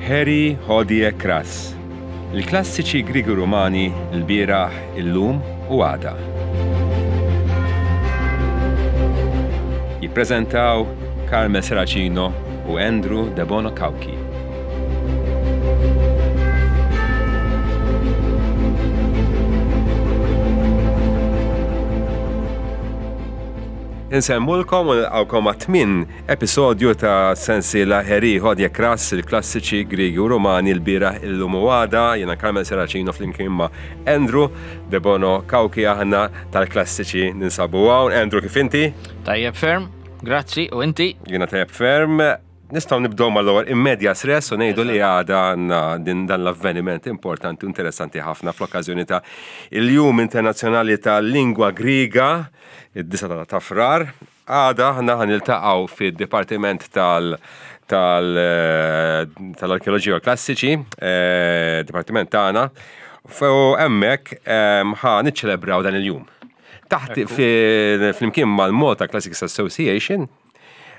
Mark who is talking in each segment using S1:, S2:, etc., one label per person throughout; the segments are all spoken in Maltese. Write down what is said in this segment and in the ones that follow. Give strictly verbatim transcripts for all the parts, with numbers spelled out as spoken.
S1: Harry Hodie Kras. Il-klassiċi Griegi Rumani l-bieraħ, illum u għada. Jippreżentaw Carmel Serracino u Andrew Debono Cauchi. Insemmulkom u nilqawkom għat-tmien episodju ta' sensiela Heri Hodie Kras, il-klassiċi Griegi u Rumani l-bieraħ, illum u għada. Jiena Carmel Serracino flimkien ma' Andrew Debono Cauchi, aħna tal-klassiċi ninsabu hawn. Andrew, kif inti?
S2: Tajjeb ferm, grazzi, u inti?
S1: Jiena tajjeb ferm. Nistgħu nibdew mal-ewwel in medias res u ngħidu li għada għandna din dan l-avveniment importanti u interessanti ħafna fl-okkażjoni ta' il-Jum Internazzjonali tal-Lingwa Griega, id-disgħa ta' Frar. Għada aħna ħa niltaqgħu fid-Dipartiment tal-, tal-, tal-Arkeoloġija u Klassiċi, eh, Dipartiment tagħna, u hemmhekk, ehm, ħa niċċelebraw dan il-jum. Taħt
S2: Ekku.
S1: fi-, flimkien mal-Malta Classics Association,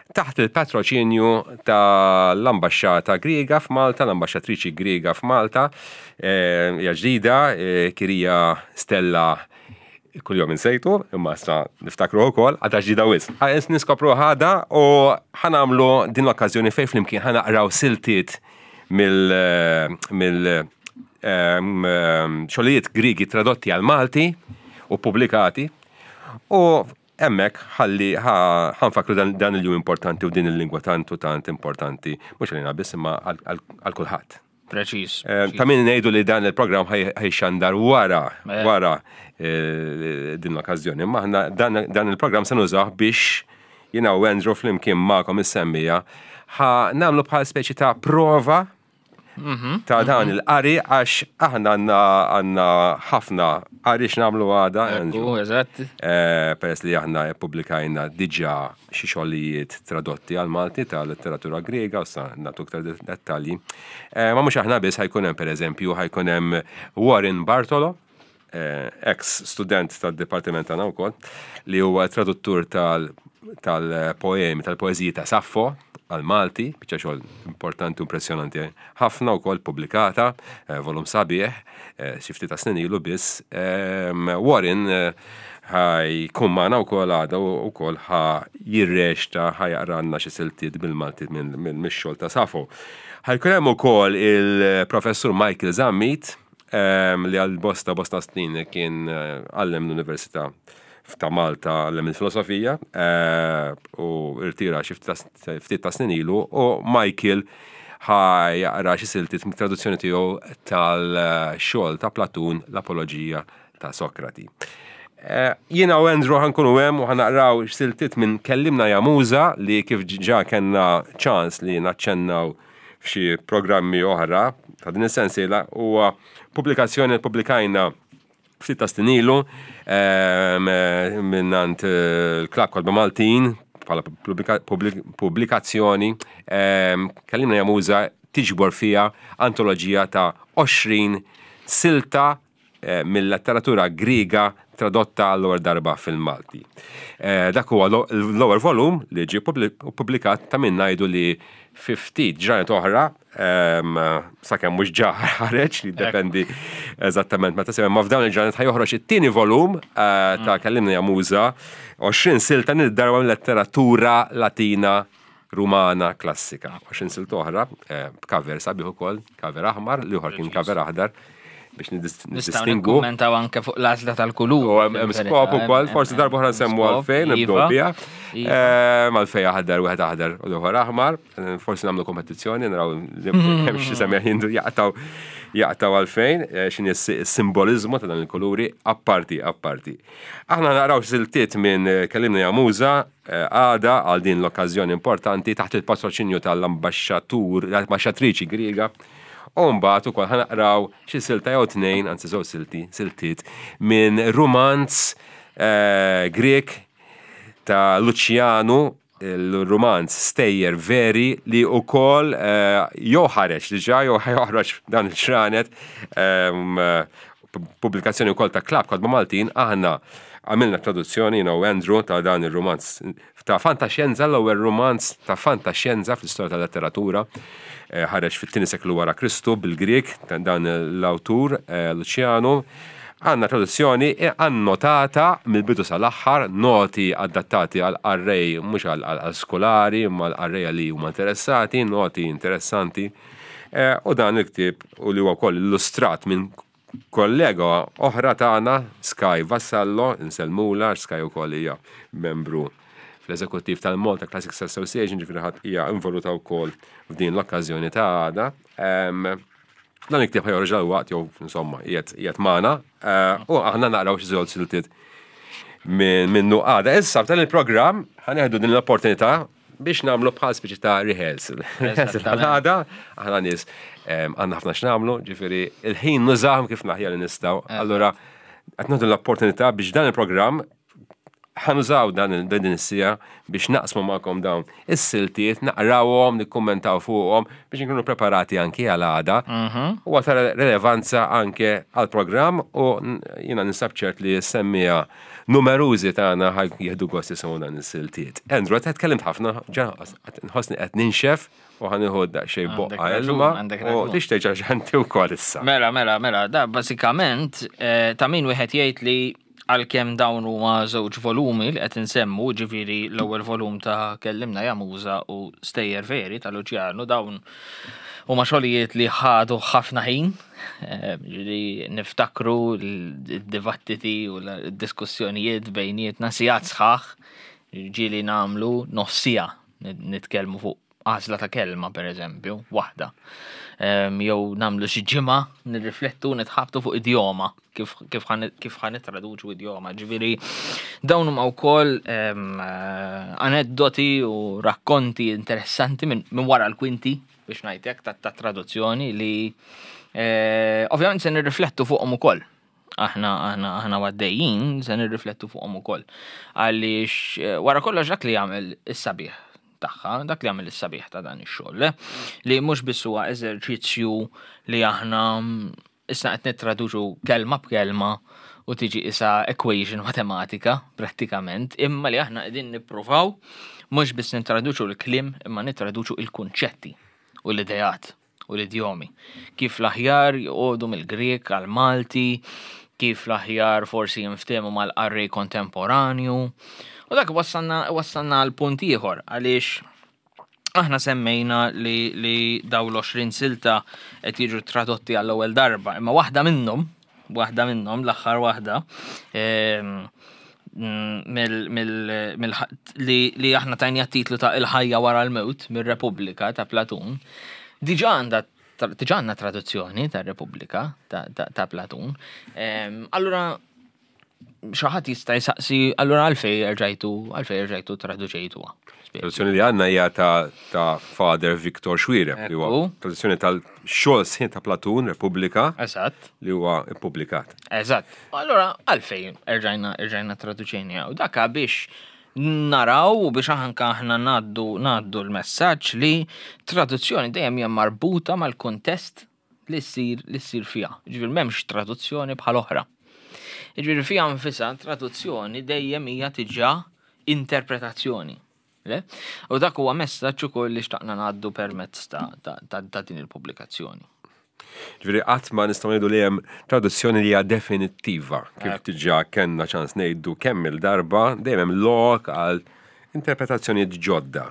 S1: taħt il-patroċinju tal-Ambaxxata Griega f'Malta, l-Ambaxxatriċi Griega f'Malta, eh, hija ġdida, eh, Kirija Stella, kuljum insejtu, imma issa niftakru wkoll, għadha ġdida wisq. Ħa niskopru ħada u ħanamlu din l-okkażjoni fejn flimkien ħanaqraw siltiet mill, mill, ehm, ehm, xogħlijiet Griegi tradotti għal Malti u pubblikati, u hemmhekk ħalli ħa-, ħanfakru dan, dan il-jum importanti u din il-lingwa tant u tant importanti, mhux għalina biss imma għal, għal, għal kulħadd.
S2: Preċiż,
S1: Eh,
S2: preċiż.
S1: Ta' min ngħidu li dan il-programm ħaj-, ħajxandar wara,
S2: Eh.
S1: wara, eh, din l-okkażjoni. Imma aħna dan, dan il-programm se nużah biex jiena u Andrew flimkien magħkom is-semmija ħa nagħmlu bħal speċi ta' prova
S2: Mhm,
S1: ta' dan
S2: mhm.
S1: il-qari, għax aħna għandna, għandna ħafna qari x'nagħmlu għada,
S2: Ekku,
S1: Andrew.
S2: eżatt.
S1: Eh, peress li aħna ppubblikajna diġà xi xogħlijiet tradotti għal Malti ta' letteratura Griega, u sa nagħtu iktar det-, dettalji. Eh, ma mhux aħna biss, ħajkun hemm pereżempju, ħajkun hemm Warren Bartolo, eh, ex student tad-dipartiment tagħna wkoll, li huwa traduttur tal-, tal-poemi, tal-poeżiji ta' Saffo għal Malti, biċċa xogħol importanti u impressjonanti ħafna wkoll pubblikata, eh, volum sabiħ, eh, xi ftit ta' snin ilu biss. Ehm, Warren, eh, ħajkun magħna wkoll għada u wkoll ħa jirrexta, ħa jaqranna xi siltiet bil-Malti minn, minn mix-xogħol ta' Saffo. Ħajkun hemm ukoll il-Professur Michael Zammit, ehm, li għal bosta, bosta snin kien, eh, għallem l-Università ta' Malta, għallem il-filosofija, eh, u irtira xi ftit ta' ftit ta' snin ilu, u Michael ħa jaqra xi siltiet mit-traduzzjoni tiegħu tal-xogħol ta' Platun, l-Apoloġija ta' Sokrati. Eh, jiena u Andrew ħankunu hemm u ħanaqraw siltiet minn Kellimna ja Muża, li kif ġa kellna ċans li naċċennaw f'xi programmi oħra ta' din is-sensiela, huwa pubblikazzjoni li ppubblikajna ftit ta' snin ilu, ehm, minnant, eh, il-Klabb Kotba Maltin bħala pubblika-, pubblika-, pubblikazzjoni. Ehm, Kellimna ja Muża tiġbor fija antoloġija ta' għoxrin silta, eh, mill-letteratura Griega tradotta għall-ewwel darba fil-Malti. Eh, dak huwa lo-, l-ewwel volum li ġie publi-, pubblikat, ta' min ngħidu li fi ftit ġranet oħra, ehm, sakemm mhux ġa ħareġ, li jiddependi eżattament meta semma, ma f'dawn il-ġranet ħajoħroġ it-tieni volum, eh, ta' Kellimna ja Muża, għoxrin silta nid-darba mill-letteratura Latina Rumana klassika. Għoxrin silta oħra, eh, b'cover sabiħ ukoll, cover aħmar, li ieħor kien cover aħdar, biex nidis-,
S2: Nistgħu
S1: nidistingu.
S2: nikkummentaw anke fuq l-għażla tal-kulur.
S1: U hemm, hemm
S2: fil-verità,
S1: skop ukoll,
S2: hemm,
S1: forsi
S2: hemm,
S1: darba oħra
S2: hemm
S1: nsemmu
S2: skop,
S1: għalfejn, nibdew
S2: iva,
S1: biha.
S2: iva.
S1: Eh, mal-fej aħdar, wieħed aħdar u l-ieħor aħmar. Eh, forsi nagħmlu kompetizzjoni, naraw li hemm xi semmiegħ jindu jaqtaw, jaqtaw għalfejn, eh, x'inhi s-, s-simboliżmu ta' dan il-kuluri, apparti, apparti. Aħna naraw siltiet minn, eh, Kellimna ja Muża, eh, għada għal din l-okkażjoni importanti taħt il-patroċinju tal-ambaxxatur, l-ambaxxatriċi Griega. U mbagħad ukoll ħanaqraw xi silta jew tnejn, anzi żewġ silti, siltiet minn rumanz, eh, Grek ta' Luciano, il-rumanz Stejjer Veri, li wkoll, eh, jew ħareġ diġà jew ħajoħroġ dan il-ġranet, ehm, pubblikazzjoni wkoll ta' Klabb Kotba Maltin. Aħna Għamilna traduzzjoni, jiena u Andrew, ta' dan il-romanz ta' fantaxjenza, l-ewwel romanz ta' fantaxjenza fl-istorja tal-letteratura. Eh, ħareġ fit-tieni seklu wara Kristu bil-Grek ta' dan l-awtur eh, Luciano. Għandna traduzzjoni annotata mill-bidu sal-aħħar, noti adattati għal qarrej, mhux għal għal skolari, imma għal qarrejja li huma interessati, noti interessanti. Eh, U dan il-ktieb u li huwa wkoll illustrat minn kollega oħra tagħna, Sky Vassallo, insellmulha, Sky ukoll hija membru fl-eżekuttiv tal-Malta Classics Association, ġifieri ħadd hija involuta wkoll f'din l-okkażjoni ta' għada. Em, Dan il-ktieb ħa joħroġ dalwaqt jew insomma qiegħed qiegħed magħna eh, u aħna naqraw xi żewġ siltiet minn minnu għada. Issa f'dan il-programm ħa nieħdu din l-opportunità biex nagħmlu bħal speċi ta' rehearsal. Rehearsal għada, aħna nies em, għandna ħafna x'nagħmlu, ġifieri il-ħin nużahom kif l-aħjar li nistgħu. Allura qed nieħdu l-opportunità biex dan il-programm ħa nużaw dan il- din is-siegħa biex naqsmu magħkom dawn is-siltiet, naqrawhom, nikkummentaw fuqhom biex nkunu preparati anki għal għada. U ta' relevanza anke għal programm u n- jiena ninsab ċert li s-semmiegħa numerużi tagħna ħa jieħdu gost jisimgħu dan is-siltiet. Andrew, qed tkellimt ħafna, ġa nħossni qed ninxef u ħa nieħu daqsxejn
S2: Għandek
S1: boqqa
S2: raġun,
S1: ilma
S2: għandek
S1: u
S2: raġun.
S1: tixtieq ġanti wkoll issa.
S2: Mela, mela, mela, da basikament eh, ta' min wieħed jgħid li għalkemm dawn huma żewġ volumi li qed insemmu, ġifieri l-ewwel volum ta' Kellimna Ja Muża u Stejjer Veri ta' Luciano, dawn huma xogħlijiet li ħadu ħafna ħin, eh, ġifieri niftakru l-dibattiti u l-diskussjonijiet bejnietna sigħat sħaħ, ġieli nagħmlu nofs siegħa nitkellmu fuq għażla ta' kelma per eżempju, waħda. Em, Jew nagħmlu xi ġimgħa nirriflettu nitħabtu fuq idjoma, kif kif ħan kif ħa nittraduċu idjoma. Ġifieri dawn huma wkoll em, eh, aneddoti u rakkonti interessanti minn min wara l-kwinti biex ngħidlek ta' ta' traduzzjoni li eh, ovvjament se nirriflettu fuqhom ukoll. Aħna aħna aħna għaddejjin se nirriflettu fuqhom ukoll. Għaliex eh, wara kollox dak li jagħmel is-sabiħ tagħha, dak li jagħmel is-sabiħ ta' dan ix-xogħol, eh, li mhux biss huwa eżerċizzju li aħna mm, issa qed nittraduċu kelma b'kelma u tiġi isa equation matematika prattikament, imma li aħna qegħdin nippruvaw mhux biss nittraduċu l-kliem imma nittraduċu il-kunċetti u l-idejat u l-idjomi. Kif l-aħjar joqogħdu mill-Grek għal-Malti, kif l-aħjar forsi jinftehmu mal-qarrej kontemporanju. U dak wassalna wassalna għal punt ieħor għaliex aħna semmejna li, li daw l-għoxrin silta qed jiġu tradotti għall-ewwel darba, imma waħda minnhom, waħda minnhom, l-aħħar waħda, em, mm, mill, mill, mill, li, li aħna tajna titlu ta' Il-ħajja wara l-mewt mir-Repubblika ta' Platun, diġà għandha diġà għandna traduzzjoni ta' Repubblika ta', ta, ta' Platun. Em, Allura, xi ħadd jista' jsaqsi, allura għalfej erġajtu, għalfej erġajtu traduċejtuha.
S1: Traduzzjoni li għandna hija ta', ta' Father Victor Xuereb, li huwa
S2: Ekku.
S1: traduzzjoni tal-xogħol sħiħ ta' Platun, Repubblika,
S2: Eżatt.
S1: li huwa ippubblikat.
S2: Eżatt. Allura, għalfejn erġajna erġajna traduċejna u daka biex naraw u biex anka aħna ngħaddu ngħaddu l-messaġġ li traduzzjoni dejjem hija marbuta mal-kontest li ssir li ssir fiha. Ġifieri m'hemmx traduzzjoni bħal oħra. Ġifieri fiha nfisha traduzzjoni dejjem hija diġà interpretazzjoni. Le? U dak huwa messaġġ ukoll li xtaqna ngħaddu permezz ta', ta, ta, ta' din il-pubblikazzjoni.
S1: Ġifieri qatt ma nistgħu ngħidu li hemm traduzzjoni li hija definittiva. Kif diġà kellna ċans ngħidu kemm il-darba dejjem hemm lok għal interpretazzjonijiet ġodda.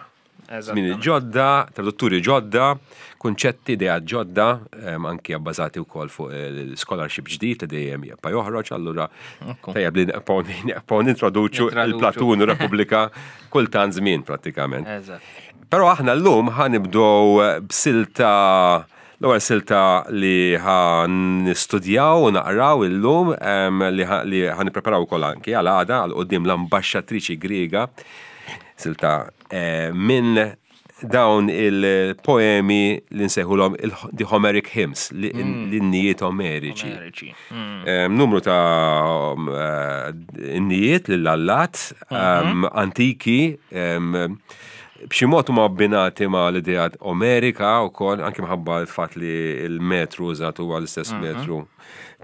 S1: Żmien ġodda, tradutturi ġodda, kunċetti, idea ġodda, em, anki abbażati wkoll fuq il-scholarship ġdid li dejjem jibqa' joħroġ, allura
S2: Ekku.
S1: tajjeb li nibqgħu nibqgħu nintroduċu
S2: Nintroduċu.
S1: il-Platun u Repubblika kultant żmien prattikament.
S2: Eżatt.
S1: Però aħna llum ħa nibdew b'silta, l-ewwel silta li ħa nistudjaw u naqraw illum em, li ħa- li ħa nippreparaw ukoll anki għal għada għal quddiem l-ambaxxatriċi Griega, silta eh, minn dawn il-poemi li nsejħulhom il- the Homeric Hymns, li- l-innijiet omeriċi.
S2: Omeriċi. Mm.
S1: Em, Numru ta' um, eh, innijiet lill-allat um, antiki em, B'xi mod huma abbinati ma' l-idea Omerika wkoll, anke minħabba l-fatt li l-metru użat huwa l-istess metru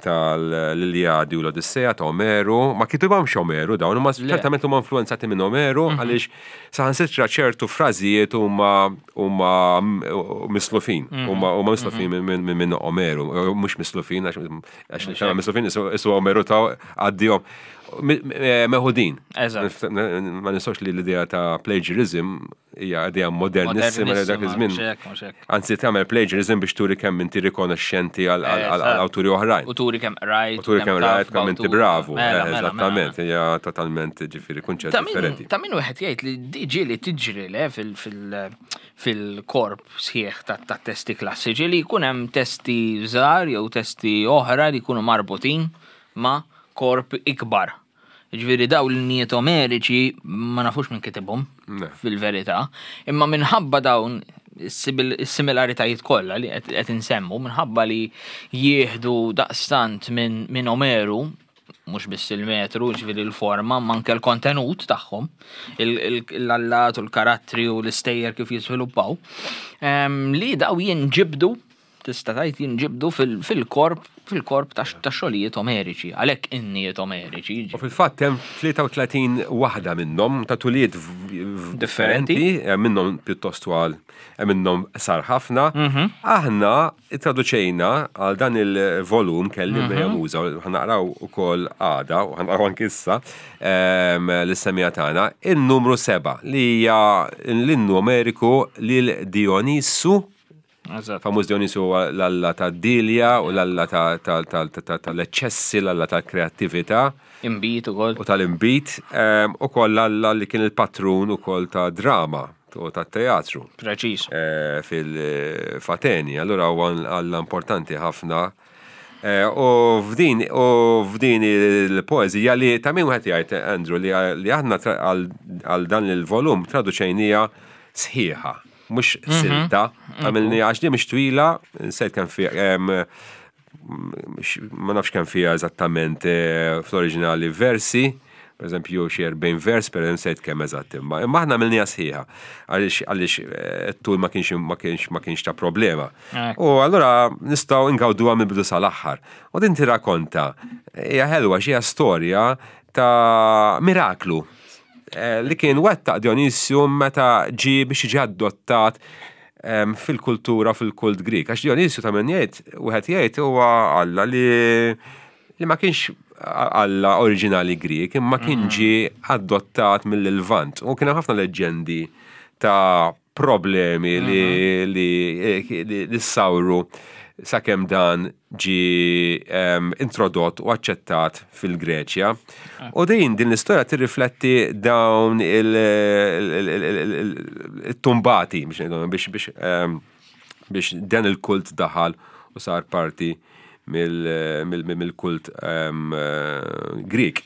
S1: tal-Iliadi u l-Odissea ta' Omeru. Ma kitibhomx Omeru dawn, huma ċertament huma influenzati minn Omeru, għaliex saħansitra ċertu frażijiet huma huma mislufin, huma huma mislufin minn minn Omeru, mhux mislufin għax għax mislufin isu Omeru ta' għaddihom meħudin.
S2: Eżatt.
S1: Ma nistgħux li l-idea ta' plagiarism hija idea modernissima li dak iż-żmien.
S2: Mhux hekk, mhux hekk.
S1: Anzi, tagħmel plagiarism biex turi kemm inti rikonoxxenti għal
S2: Eżatt.
S1: awturi oħrajn.
S2: U turi kemm rajt.
S1: U turi kemm rajt, kemm inti bravu.
S2: Mela,
S1: Eh,
S2: mela, mela.
S1: Eżattament, hija totalment, ġifieri, kunċett
S2: Ta' min,
S1: differenti.
S2: ta' min wieħed jgħid li diġi li tiġri le fil- fil- fil-korp sħiħ ta' ta' testi klassiċi li jkun hemm testi żgħar jew testi oħra li jkunu marbutin ma' korp ikbar. Ġifieri daw l-innijiet omeriċi ma nafux minn kitibhom
S1: Ne.
S2: fil-verità, imma minħabba dawn is-similaritajiet kollha li qed qed insemmu, minħabba li jieħdu daqstant minn min Omeru, mhux biss il-metru, ġifieri l-forma, ma anke l-kontenut tagħhom, il- il- l-allat u l-karattri u l-istejjer kif jiżviluppaw, em, li daw jinġibdu, tista' tgħid jinġibdu fil- fil-korp fil-korp ta' ta' xogħlijiet omeriċi, għalhekk innijiet omeriċi.
S1: U fil-fatt hemm tlieta u tletin waħda minnhom ta' tuliet v- v-
S2: Differenti.
S1: differenti, hemm minnhom pjuttost twal, hemm minnhom sar ħafna. Aħna traduċejna għal dan il-volum Kellimna ja Muża, u ħa naqraw ukoll għada u ħa naqraw anki issa ehm, lis-semmiegħa tagħna, il-numru seba' li hija l-innu Omeriku lil Dionisu.
S2: Eżatt.
S1: Famuż Dionisu huwa l-alla ta' Dilja u l-alla ta- ta- ta- ta- tal-eċċessi, l-alla tal-kreattività
S2: Imbit ukoll.
S1: u tal-imbit, ehm, u koll l-alla li kien il-patrun u koll ta' drama u ta' teatru
S2: Preċiż.
S1: eh, fil-Fateni. Allura huwa alla importanti ħafna. Eh, U f'din u f'din il-poezija li ta' min wieħed jgħid, Andrew, li li aħna tra- għal għal dan il-volum traduċejnija sħiħa, mhux silta, għamilni għax di mhix twila, nsejt kemm fiha em, ma nafx kemm fiha eżattament eh, fl-oriġinali versi, per eżempju xi erbgħin vers, per eżempju nsejt kemm eżatt, imma imma aħna għamilniha sħiħa għaliex għaliex eh, t-tul ma kienx ma kienx ma kienx ta' problema.
S2: Ekku.
S1: U allura nistgħu ingawduha mill-bidu sal-aħħar. U din tirrakkonta, hija ħelwa xi storja ta' miraklu eh, li kien wettaq Dionisju meta ġi biex jiġi adottat em, fil-kultura, fil-kult Grik. Għax Dionisju, ta' min jgħid, wieħed jgħid, huwa Alla li li ma kienx Alla oriġinali Grik, imma kien ġie adottat mill-Lvant. U kien hemm ħafna leġendi ta' problemi li li li, li sawru sakemm dan ġi em, introdott u aċċettat fil-Greċja. U din din l-istorja tirrifletti dawn il-tumbati biex ngħidu, biex biex em, biex dan il-kult daħal u sar parti mill-kult em, eh, Grik.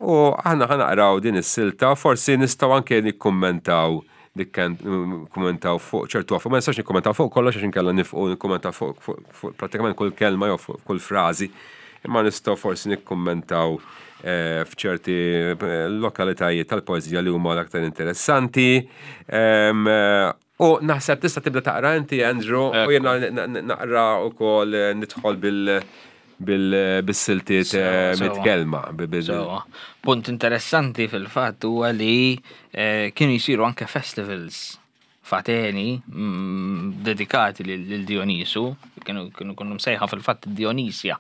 S1: U aħna ħa naqraw din is-silta, forsi nistgħu anke nikkummentaw nikkummentaw fuq ċertu affarijiet. Ma nistax nikkummentaw fuq kollox għax inkella nifqu nikkummentaw fuq fuq fuq prattikament kull kelma jew fuq kull frażi. Imma nistgħu forsi nikkummentaw eh, f'ċerti eh, lokalitajiet tal-poeżija li huma l-aktar interessanti. Em, eh, U naħseb tista' tibda taqra inti, Andrew, u jiena naqra wkoll eh, nidħol bil bil- bis-siltiet eh,
S2: Sewa, sewa.
S1: mit-kelma. bi- bil-
S2: Sewa. Punt interessanti fil-fatt huwa li eh, kienu jisiru anke festivals f'Ateni mm, dedikati lil lil Dionisu, kienu kienu kienu msejħa fil-fatt Dionisja,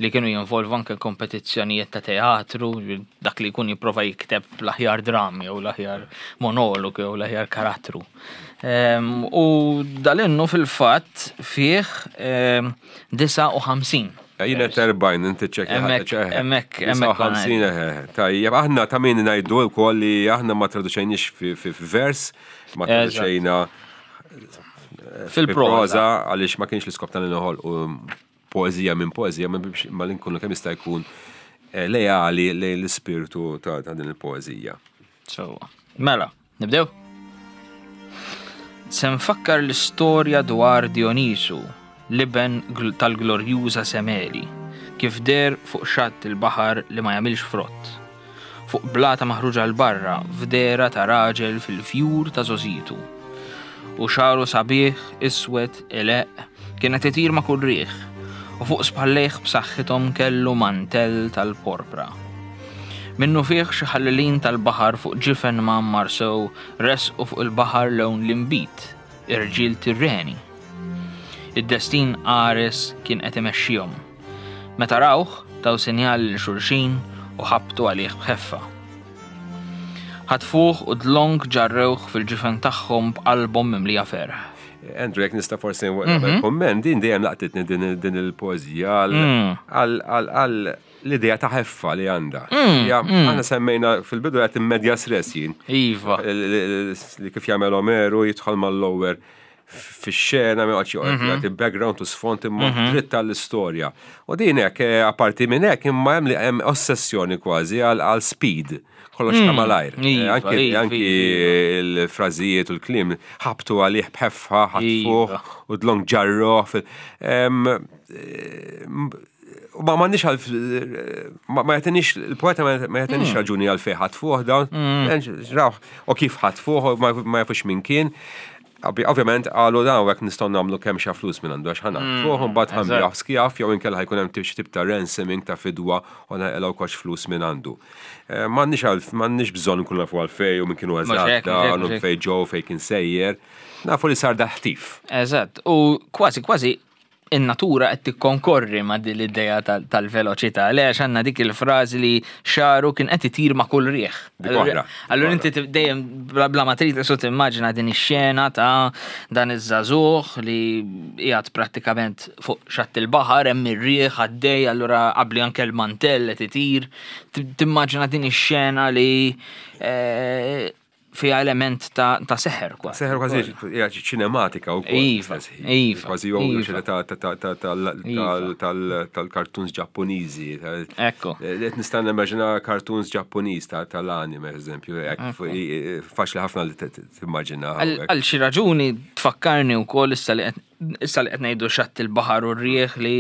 S2: li kienu jinvolvu anke kompetizzjonijiet ta' teatru, dak li jkun jipprova jikteb l-aħjar dram jew l-aħjar monolog jew l-aħjar karattru. Em, U dal-innu fil-fatt fih em, disgħa u ħamsin.
S1: Jiena erbgħin, inti ċekja.
S2: Hemmhekk, hemmhekk, hemmhekk
S1: ħamsin, tajjeb, aħna ta' min ngħidu wkoll li aħna ma traduċejniex fi fi vers, ma
S2: Eżatt.
S1: traduċejna
S2: Fil-proża.
S1: Għaliex ma kienx l-iskop tal noħolqu poezija minn poezija, ma biex ma li nkunu kemm jista' jkun eh, lejali lejn l-ispirtu ta' ta' din il-poezija.
S2: So, mela, nibdew? Se nfakkar l-istorja dwar Dionisu, l-iben gl- tal-glorjuża Semeli, kif der fuq xatt il-baħar li ma jagħmilx frott. fuq blata maħruġa 'l barra f'dehra ta' raġel fil-fjur ta' żgħożitu. U xagħru sabiħ, iswed, ileqq, kien qed itir ma' kull riħ, u fuq spallejh b'saħħithom kellu mantell tal-porpra. Minnufih xi ħallelin tal-baħar fuq ġifen mgħammar sew resqu fuq il-baħar lewn l-inbid, irġiel Tirreni. Id-destin qares kien qed imexxihom. Meta rawh, taw sinjal lil xulxin u ħabtu għalih b'ħeffa. Ħatfuh u dlonk ġarrewh fil-ġifen tagħhom b'qalbhom mimlija ferħ.
S1: Andrew, jekk nista' forsi nagħmel komment, din dejjem laqtitni din din il-poeżija għal għal l-idea ta' ħeffa li għandha. Ja, aħna semmejna fil-bidu qed in medias res jien.
S2: Iva.
S1: Li kif jagħmel Omeru jidħol mal-lower fix-xena ma joqgħodx joqgħod jagħti background u sfond imma dritt tal-istorja. U din hekk eh, apparti minn hekk imma hemm li hemm ossessjoni kważi għal għal speed. Kollox ta' malajr. Eh,
S2: Iva,
S1: Anki
S2: iva,
S1: anki il-frażijiet u l-kliem ħabtu għalih b'ħeffa, ħatfuh
S2: Iva.
S1: u dlonk ġarroh. fil- em, eh, U ma m'għandniex għal ma ma jagħtinix il-poeta ma ma jagħtinix raġuni għal fejn ħatfuh dawn. Rawh, u kif ħatfuh u ma ma jafux min kien. Ovvi- Ovvjament qalu dawn hekk nistgħu nagħmlu kemm xa flus minn għandu għax ħa naħtfuh u mbagħad ħa nbigħuh skjav jew inkella ħa jkun hemm tip tip ta' ransoming ta' fidwa u naqilgħu kox flus minn għandu. Eh, M'għandniex għal m'għandniex bżonn nkunu nafu għal fej u minn kienu
S2: Mhux
S1: eżatt
S2: hekk, mhux hekk,
S1: dan u
S2: mhux hekk.
S1: fej ġew fej kien sejjer. Nafu li sar dal-ħtif.
S2: Eżatt, u kważi kważi in-natura qed tikkonkorri ma' din l-idea tal- tal-veloċità. Le għax għandna dik il-frażi li xagħru kien qed itir ma' kull riħ.
S1: Dik oħra.
S2: Allura inti tib- dejjem bla bla ma trid isu timmaġina din ix-xena ta' dan iż-żagħżugħ li qiegħed prattikament fuq xatt il-baħar hemm ir-riħ għaddej, allura qabli anke l-mantell qed itir. Timmaġina din ix-xena li eh, fiha element ta' ta' seħer kważi.
S1: Seħer kważi hija ċinematika u
S2: Iva, iva,
S1: Kważi jew
S2: iva.
S1: ta' ta' ta' ta' tal-
S2: Iva.
S1: tal- tal-cartoons Ġappuniżi. tal-
S2: Ekku.
S1: Qed nista' nimmaġina cartoons Ġappuniż ta' tal-anime, eżempju, hekk, faċli ħafna li timmaġina.
S2: Għal għal xi raġuni tfakkarni wkoll issa li qed issa li qed ngħidu xatt il-baħar u r-rieħ li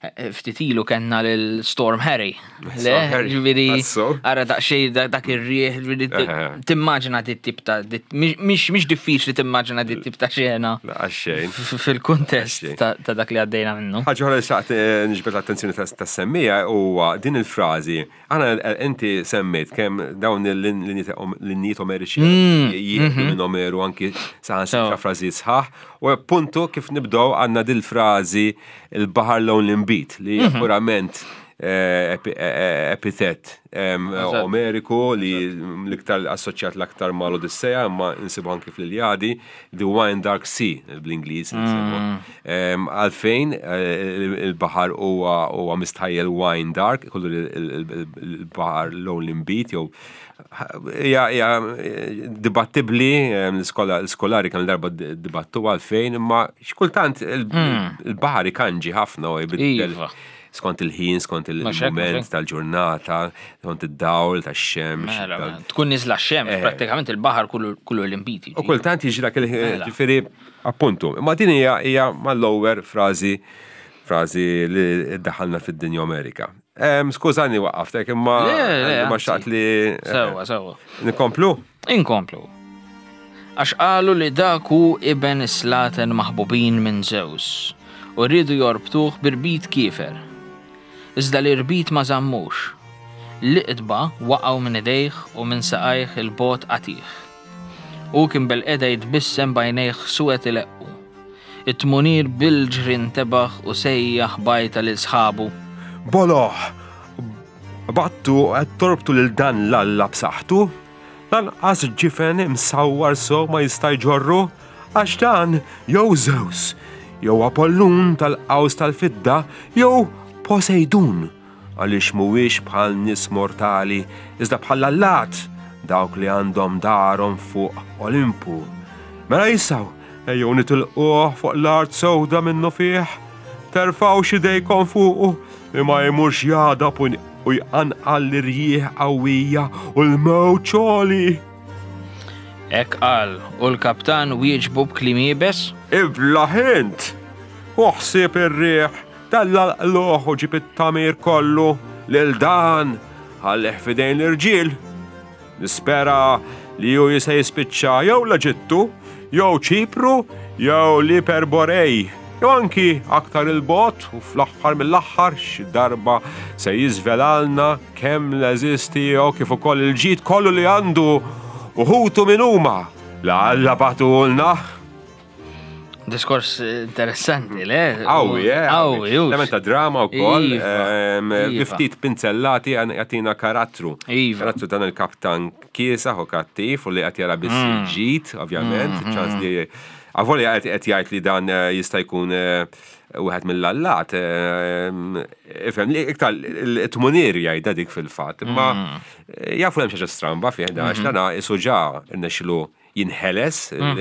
S2: eh, ftit ilu kellna lil Storm Harry. Le,
S1: Storm Harry,
S2: ġifieri
S1: tassu.
S2: ara daqsxejn da- dak ir-rieħ, ġifieri
S1: Eħe.
S2: timmaġina dit tip ta' dit- mhix mhix diffiċli timmaġina dit tip ta' xena
S1: Għaxxejn.
S2: f- fil-kuntest
S1: Għaxxejn.
S2: ta' ta' dak li għaddejna minnu.
S1: Ħaġa oħra li xtaqt eh, niġbed l-attenzjoni tas-semmija huwa din il-frażi. Aħna eh, inti semmejt kemm dawn il-linjiet omeriċi jieħdu minn Omeru anki saħansitra
S2: So.
S1: frażi sħaħ. U appuntu kif nibdew għandna dil-frażi il-baħar lewn l-inbid li hija purament eh, epi- eh, epitet em,
S2: Eżatt.
S1: Omeriku li l-iktar assoċjat l-aktar mal Odissea imma insibu anki fl-Iljadi, The Wine Dark Sea bl-Ingliż insibu. Em, Għalfejn eh, il-baħar huwa huwa mistħajjel wine dark, kollu il-baħar lewn l-inbid jew hija hija dibattibli, em, l-iskola l-skolari kemm darba dibattu għalfejn, imma xkultant il- il-baħar ikanġi ħafna u jbiddel
S2: Iva.
S1: skont il-ħin, skont
S2: Mhux hekk, mhux
S1: il-moment
S2: hekk.
S1: tal-ġurnata, skont id-dawl tax-xemx.
S2: Mela,
S1: tal-
S2: mela, Tkun niżla x-xemx,
S1: Eh.
S2: prattikament il-baħar kullu kullu l-inbid.
S1: U kultant jiġi dak il
S2: Mela.
S1: ġifieri appuntu. Ma din hija hija mal-lower frażi frażi li daħalna fid-dinja Amerika. Em, Skużani waqqaftek imma
S2: Le, le,
S1: ma
S2: anzi.
S1: xtaqt li
S2: Sewwa, sewwa.
S1: nikomplu.
S2: Inkomplu. Għax qalu li dak hu iben is-slaten maħbubin minn Zeus u rridu jorbtuh b'irbit kiefer. Iżda l-irbit ma żammux. L-iqdba waqgħu minn idejh u minn saqajh il-bot qatiħ. U kien bilqiegħda jitbissem b'għajnejh suwed ileqqu. It-tmunir bil-ġri ntebaħ u sejjaħ b'għajta lil sħabu.
S1: Boloh, battu qed torbtu lil dan l-alla b'saħħtu, lanqas ġifen imsawwar so ma jista' jġorru, għax dan jew Zeus, jew Apollun tal-qaws tal-fidda, jew Poseidun, għaliex mhuwiex bħal nies mortali, iżda bħal allat dawk li għandhom darhom fuq Olimpu. Mela jisaw, ejjew nitilquh fuq l-art sewda minnu fih, terfgħux idejkom fuqu, li ma jmurx jagħdab u u jqanqal l-irjieħ qawwija u l-mewġ għoli.
S2: Hekk qal u l-kaptan wieġbu b'kliem iebes.
S1: Ibla int! Uħsib ir-riħ, tella l-qluħ u ġib it-tamir kollu lil dan, ħallih fidejn l-irġiel. Nispera li hu jista' jispiċċa jew l-Eġittu, jew Ċipru, jew l-Iperborej, jew anki aktar il-bogħod u fl-aħħar mill-aħħar xi darba se jiżvelalna kemm l-għeżież tiegħu kif ukoll il-ġid kollu li għandu u ħutu min huma. La Alla bagħtulna.
S2: Diskors interessanti, le?
S1: Qawwi, eh?
S2: Qawwi, hux.
S1: Element ta' drama u koll.
S2: Iva, iva.
S1: Ftit pinzellati jagħtina karattru.
S2: Iva.
S1: Karattru dan il-kaptan kiesaħ u kattiv u li qed jara biss
S2: Mm.
S1: il-ġid, ovvjament. ċans li avolja qed qed jgħid li dan eh, jista' jkun eh, wieħed mill-allat. eh, Ifhem li iktar il-tmunier jgħidha dik fil-fatt. Imma
S2: Mm.
S1: eh, jafu hemm xi ħaġa stramba fih dan għax dana isu ġa rnexxilu jinħeles,
S2: Mhm.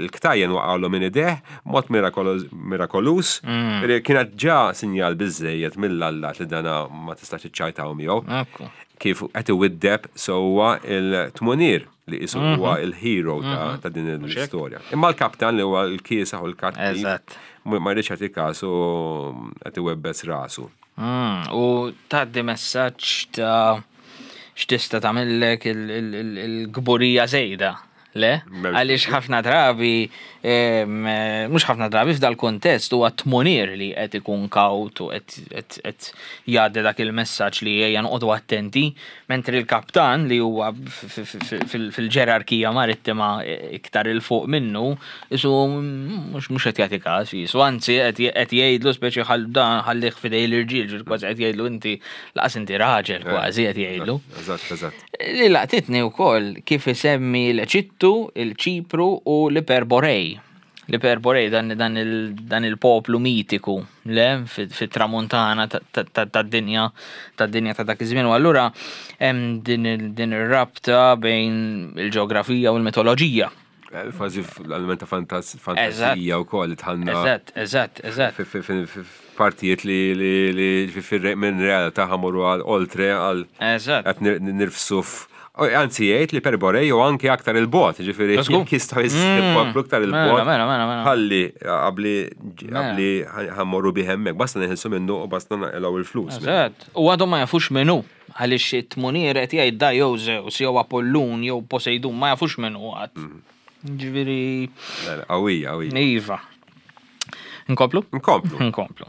S1: il-ktajjen waqgħulu minn ideh, mod mirakolus,
S2: Mm.
S1: kienet ġa sinjal biżejjed mill-allat li dana ma tistax iċċajtaw miegħu.
S2: Ekku.
S1: Kif qed iwiddeb sewwa il-tmunier li isu
S2: Mhm.
S1: huwa il-hero ta' ta' din l-istorja. Imma l-kaptan li huwa l-kiesaħ u l-kattiv
S2: Eżatt.
S1: ma ma jridx jagħti kasu qed iwebbes rasu.
S2: Mm, U tgħaddi messaġġ ta' x'tista' tagħmillek il- il- il- il-kburija żejda. Le?
S1: M'hemmx
S2: Għaliex ħafna drabi, em, eh, mhux ħafna drabi f'dal kontest huwa tmunier li qed ikun kawt u qed qed- qed jgħaddi dak il-messaġġ li ejja noqogħdu attenti, mentri l-kaptan li huwa f- f- f- fil- fil-ġerarkija marittima iktar 'il fuq minnu, isu mhux mhux qed jagħti każ jisu, anzi qed qed jgħidlu speċi ħall dan ħallih f'idej l-irġiel, ġifieri kważi qed jgħidlu inti laqas inti raġel kważi qed jgħidlu.
S1: Eżatt, eżatt.
S2: Li laqtitni wkoll kif isemmi l-Eġittu, il-Ċipru u l-Iperborej. L-Iperborej dan, dan, il, dan il-poplu mitiku, le, fit-tramuntana tad-dinja tad-dinja ta' dak iż-żmien. U allura hemm din il- din ir-rabta bejn il-ġeografija u l-mitoloġija.
S1: Eh, Kważi l-element ta' fantas- fantasija u koll li tħanna
S2: Eżatt, eżatt, eżatt.
S1: fi- fi- fi- fi- partijiet li li li fi- fi- minn realtà ħamuru għal oltre għal
S2: Eżatt.
S1: qed nir- nirfsu f- O, Anzi jgħid li Perborej u anki aktar il-bot, ġifieri
S2: Żgur.
S1: jekk jistgħu jistgħu aktar il-bot.
S2: Mela, mela, mela, mela.
S1: Ħalli qabli qabli ħammorru bih hemmhekk, basta neħilsu minnu u basta naqilgħu il-flus.
S2: Eżatt. U għadhom ma jafux minnu, għaliex it-tmunier qed jgħid da jew Zeus, jew Apollun, jew Poseidon, ma jafux minnu għad. Ġifieri
S1: Le, le, Qawwija, qawwija.
S2: Iva. Nkomplu?
S1: Nkomplu.
S2: Nkomplu.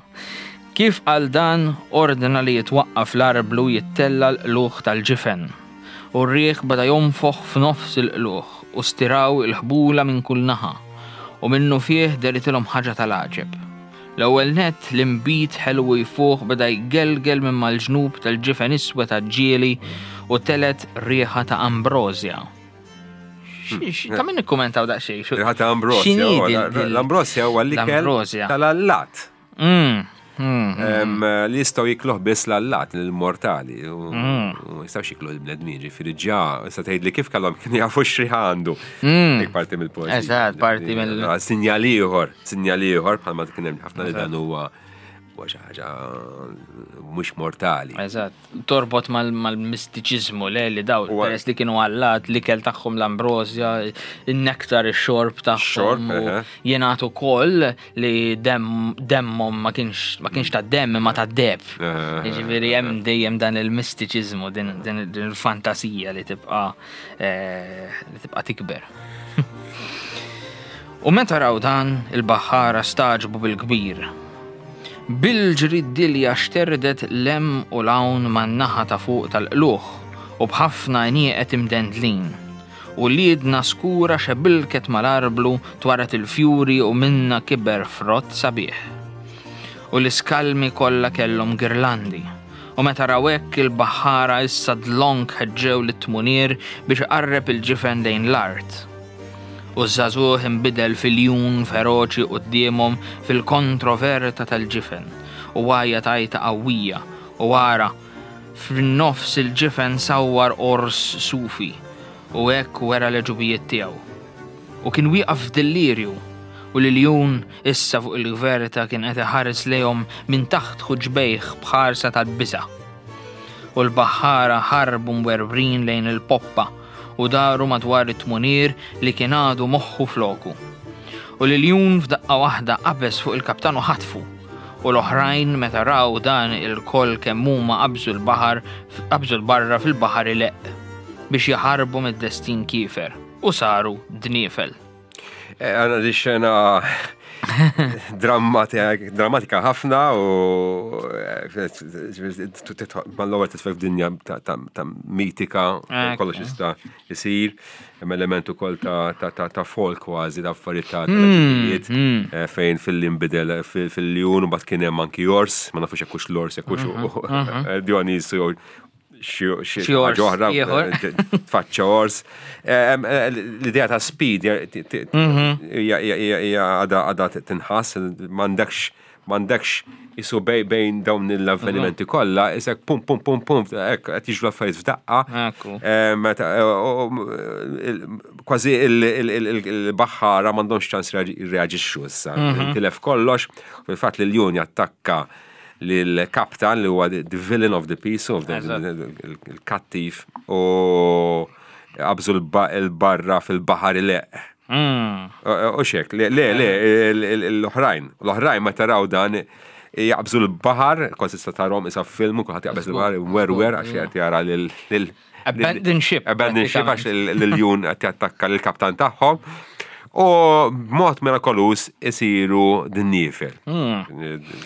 S2: Kif għal dan ordna li jitwaqqaf l-arblu jittella l-qluħ tal-ġifen. U r-riħ bada jonfoħ f'nofs il-qluħ u stiraw il-ħbula minn kull naħa. U minnu fih deritilhom ħaġa tal-għaġeb. L-ewwel nett l-imbit ħelwu jfuħ beda jgelgel minn mal-ġnub tal-ġifen iswed għaġġieli u telet riħa ta' ambrosja. X- Ta' min ikkumentaw daqsxejn. xu-
S1: Riħa ta' ambrosja.
S2: x'inhi
S1: huwa-
S2: din- din-
S1: L-ambrosja huwa l-ikel
S2: L-ambrosja.
S1: tal-allat.
S2: Mm, mm,
S1: Em, Li jistgħu jikluh biss l-allat, l-mortali. U
S2: Mm.
S1: u jistgħux jikluh il-bnedmin, ġifieri ġa, issa tgħid li kif kellhom kienu jafu x'riħa għandu. Dik parti mill-poeżija.
S2: Mm. Eżatt, parti mill-
S1: Ah, Sinjal ieħor, sinjal ieħor bħalma kien hemm ħafna li dan huwa huwa xi ħaġa mhux mortali.
S2: Eżatt, torbot mal- mal-mistiċizmu le li daw,
S1: Huwa-
S2: peress li kienu allat, l-ikel tagħhom l-ambrosja, il-nektar, ix-xorb tagħhom.
S1: Xorb,
S2: u
S1: eħe.
S2: Jingħatu koll li dem- demmhom ma kienx ma kienx ta' demm imma ta' deb.
S1: Eħe,
S2: Jiġifieri hemm dejjem dan il-mistiċizmu, din din- din il-fantasija li tibqa' eh, li tibqa' tikber. U meta raw dan, il-baħħara staġbu bil-kbir. Bil-ġri d-dilja xterdet lem u lawn man-naħa ta' fuq tal-qluħ u bħafna nieqet imdendlin. U liedna skura xebilket mal-arblu twaret il-fjuri u minna kiber frott sabiħ. U l-iskalmi kollha kellhom girlandi. U meta raw hekk il-baħħara issa dlonk ħeġġew lit-tmunier biex iqarreb il-ġifen lejn l-art. U ż-żagħżugħ inbidel fil-jun feroċi quddiemhom fil-kontroverta tal-ġifen u għajja tajta qawwija u wara fin-nofs il-ġifen sawwar ors sufi u hekk wera l-ġubijiet tiegħu. U kien wieqaf f'dillirju u l-iljun issa fuq il-gverta kien qed iħares lejhom minn taħt ħuġbejh b'ħarsa tal-biża' u l-baħħara ħarbu mwerbrin lejn il-poppa u daru madwar it-tmunier li kien għadu moħħu floku. U l-iljun f'daqqa waħda qabeż fuq il-kaptan u ħatfu. U l-oħrajn meta raw dan il-koll kemm huma qabżu l-baħar qabżu l-barra fil-baħar ileq. biex jaħarbu mid-destin kiefer u saru dniefel.
S1: Eh, Għandna di xena drammatika ħafna u eh, mal-ewwel titfel f'dinja ta' ta' ta' mitika,
S2: Ekku.
S1: kollox jista' jsir, hemm element ukoll ta' ta' ta' ta' folk kważi, ta' affarijiet ta' tal-ġibijiet, eh, fejn fil-imbidel fil-ljun u bat kien hemm anki ors, ma nafux jekk hux l-ors jekk hux Dionisu jew xi xi
S2: Xi ors
S1: ħaġa oħra,
S2: ieħor.
S1: eh, tfaċċa ors. Eh, em, eh, L-idea ta' speed hija- ti- ti- hija hija- hija- hija għadha għadha tinħass, m'għandekx m'għandekx isu bej- bejn dawn l-avvenimenti kollha, isek pum pum pum pum, hekk qed jiġru affarijiet f'daqqa.
S2: Ekku.
S1: Eh, meta, eh, u- u- il- Kważi il- il- il- il- il-baħħara m'għandhomx ċans jirreaġixxu issa. Tilef kollox, fil-fatt li l-jun jattakka lill-kaptan li huwa the the villain of the piece, of the
S2: Eżatt.
S1: il-kattiv u qabżu l-barra fil-baħar ileq.
S2: Mm.
S1: U xek, le, le, le, l-oħrajn, l-oħrajn ma taraw dan jaqbżu l-baħar, kważi tista' tarahom isa film, kulħadd jaqbeż il-baħar, werwer għax qed jara lil lil
S2: Abandon ship,
S1: Abandon ship għax l-ljun qed jattakka lill-kaptan tagħhom. U b'mod mirakolus isiru dniefel.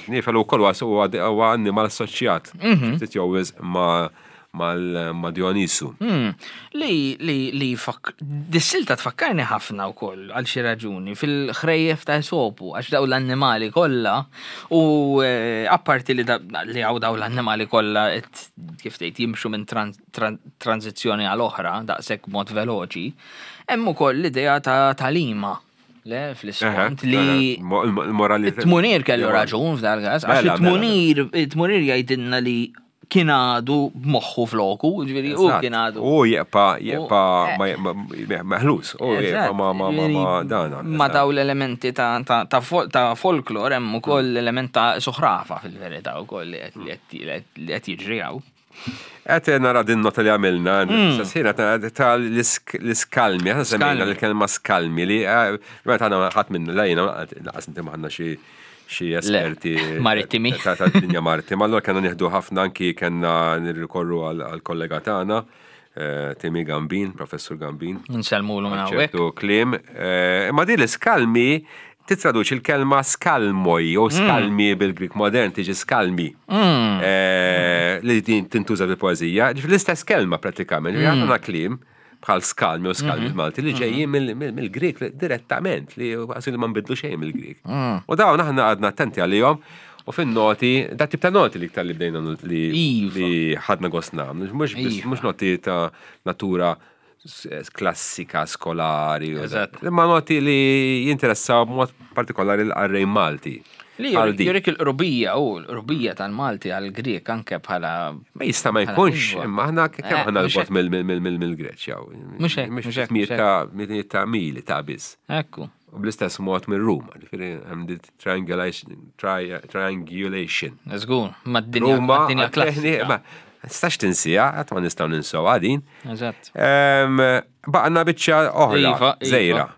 S1: Dniefel ukoll huwa huwa annimal assoċjat. Ftit jew wisq ma' mal- ma' Dionisu.
S2: Mm. Li, li, li fak... Dis-silta tfakkarni ħafna wkoll għal xi raġuni fil-ħrejjef ta' Esopu għax daw l-annimali kollha u eh, apparti li da, li hawn daw l-annimali kollha qed kif tgħid jimxu minn tran, tran, tranzizzjoni għal oħra daqshekk mod veloċi, hemm ukoll l-idea ta' talima le fl-isfond li
S1: Il-morali.
S2: it-tmunir kellu raġun f'dal każ, għax
S1: Mela, mela,
S2: it-tmunir it-tmunir jgħidilna li kien għadu b'moħħu floku, ġifieri u
S1: Eżatt.
S2: kien għadu.
S1: U jibqa, jibqa
S2: U-
S1: ma- ma- meħlus, u jibqa ma ma ma ma dana.
S2: Ma daw l-elementi ta' ta' ta' fol- ta' folklor hemm ukoll l-element ta' suħrafa fil-verità wkoll li qed- li qed- li qed jiġri hawn.
S1: Qed nara din nota li għamilna, sena ta' l-iskalmi, għana semmejna
S2: Skalmi.
S1: l-kelma skalmi li, eh, meta għana ħadd minn lejna, laqas inti maħna xi xi esperti
S2: marittimi.
S1: ta' ta' dinja marittima, allora kellna nieħdu ħafna anki kellna nirrikorru għal-kollega tagħna, eh, Timi Gambin, professur Gambin.
S2: Nsellmulu minn hawnhekk.
S1: ċertu kliem. Eh, Imma din l-iskalmi titraduċi l-kelma skalmoj jew skalmi bil-Grik modern tiġi skalmi. Eh, Li din tintuża fil-poeżija. Ġifieri l-istess kelma pratikament. Ġifieri Għandna kliem bħal skalmi u skalmi Malti li ġejjin mill- mill- mill-Grik direttament li għasil li ma nbidlu xejn mill-Grik. U dawn aħna għadna attenti għalihom u fin-noti, da tip ta' noti li iktar li bdejna li
S2: Iva.
S1: li ħadna gost nagħmlu, mhux biss-
S2: Iva.
S1: mhux noti ta' natura s- klassika, skolari. u
S2: Eżatt.
S1: da- Imma noti li jinteressaw b'mod partikolari l-qarrej Malti.
S2: Li
S1: Bħal
S2: jurik
S1: din.
S2: jurik il-qrubija u l-qrubija tal-Malti għal-Grek anke bħala
S1: Ma jista' ma
S2: bħala
S1: jkunx,
S2: lingwa.
S1: imma aħna kemm
S2: Eh,
S1: aħna
S2: mhux
S1: l-bot mill-Greċja.
S2: Mhux hekk, mhux hekk,
S1: Mijiet
S2: mhux
S1: ta' mijiet ta' mili ta' biss.
S2: Ekku.
S1: U bl-istess mod minn Ruma, ġifieri hemm di triangulation. tri- Triangulation.
S2: Żgur, mad-dinja
S1: Ruma,
S2: mad-dinja klassika.
S1: ma nistax tinsija, qatt ma nistgħu ninsew għadin.
S2: Eżatt.
S1: Em, Baqna biċċa oħra,
S2: Iva, iva.
S1: żejra.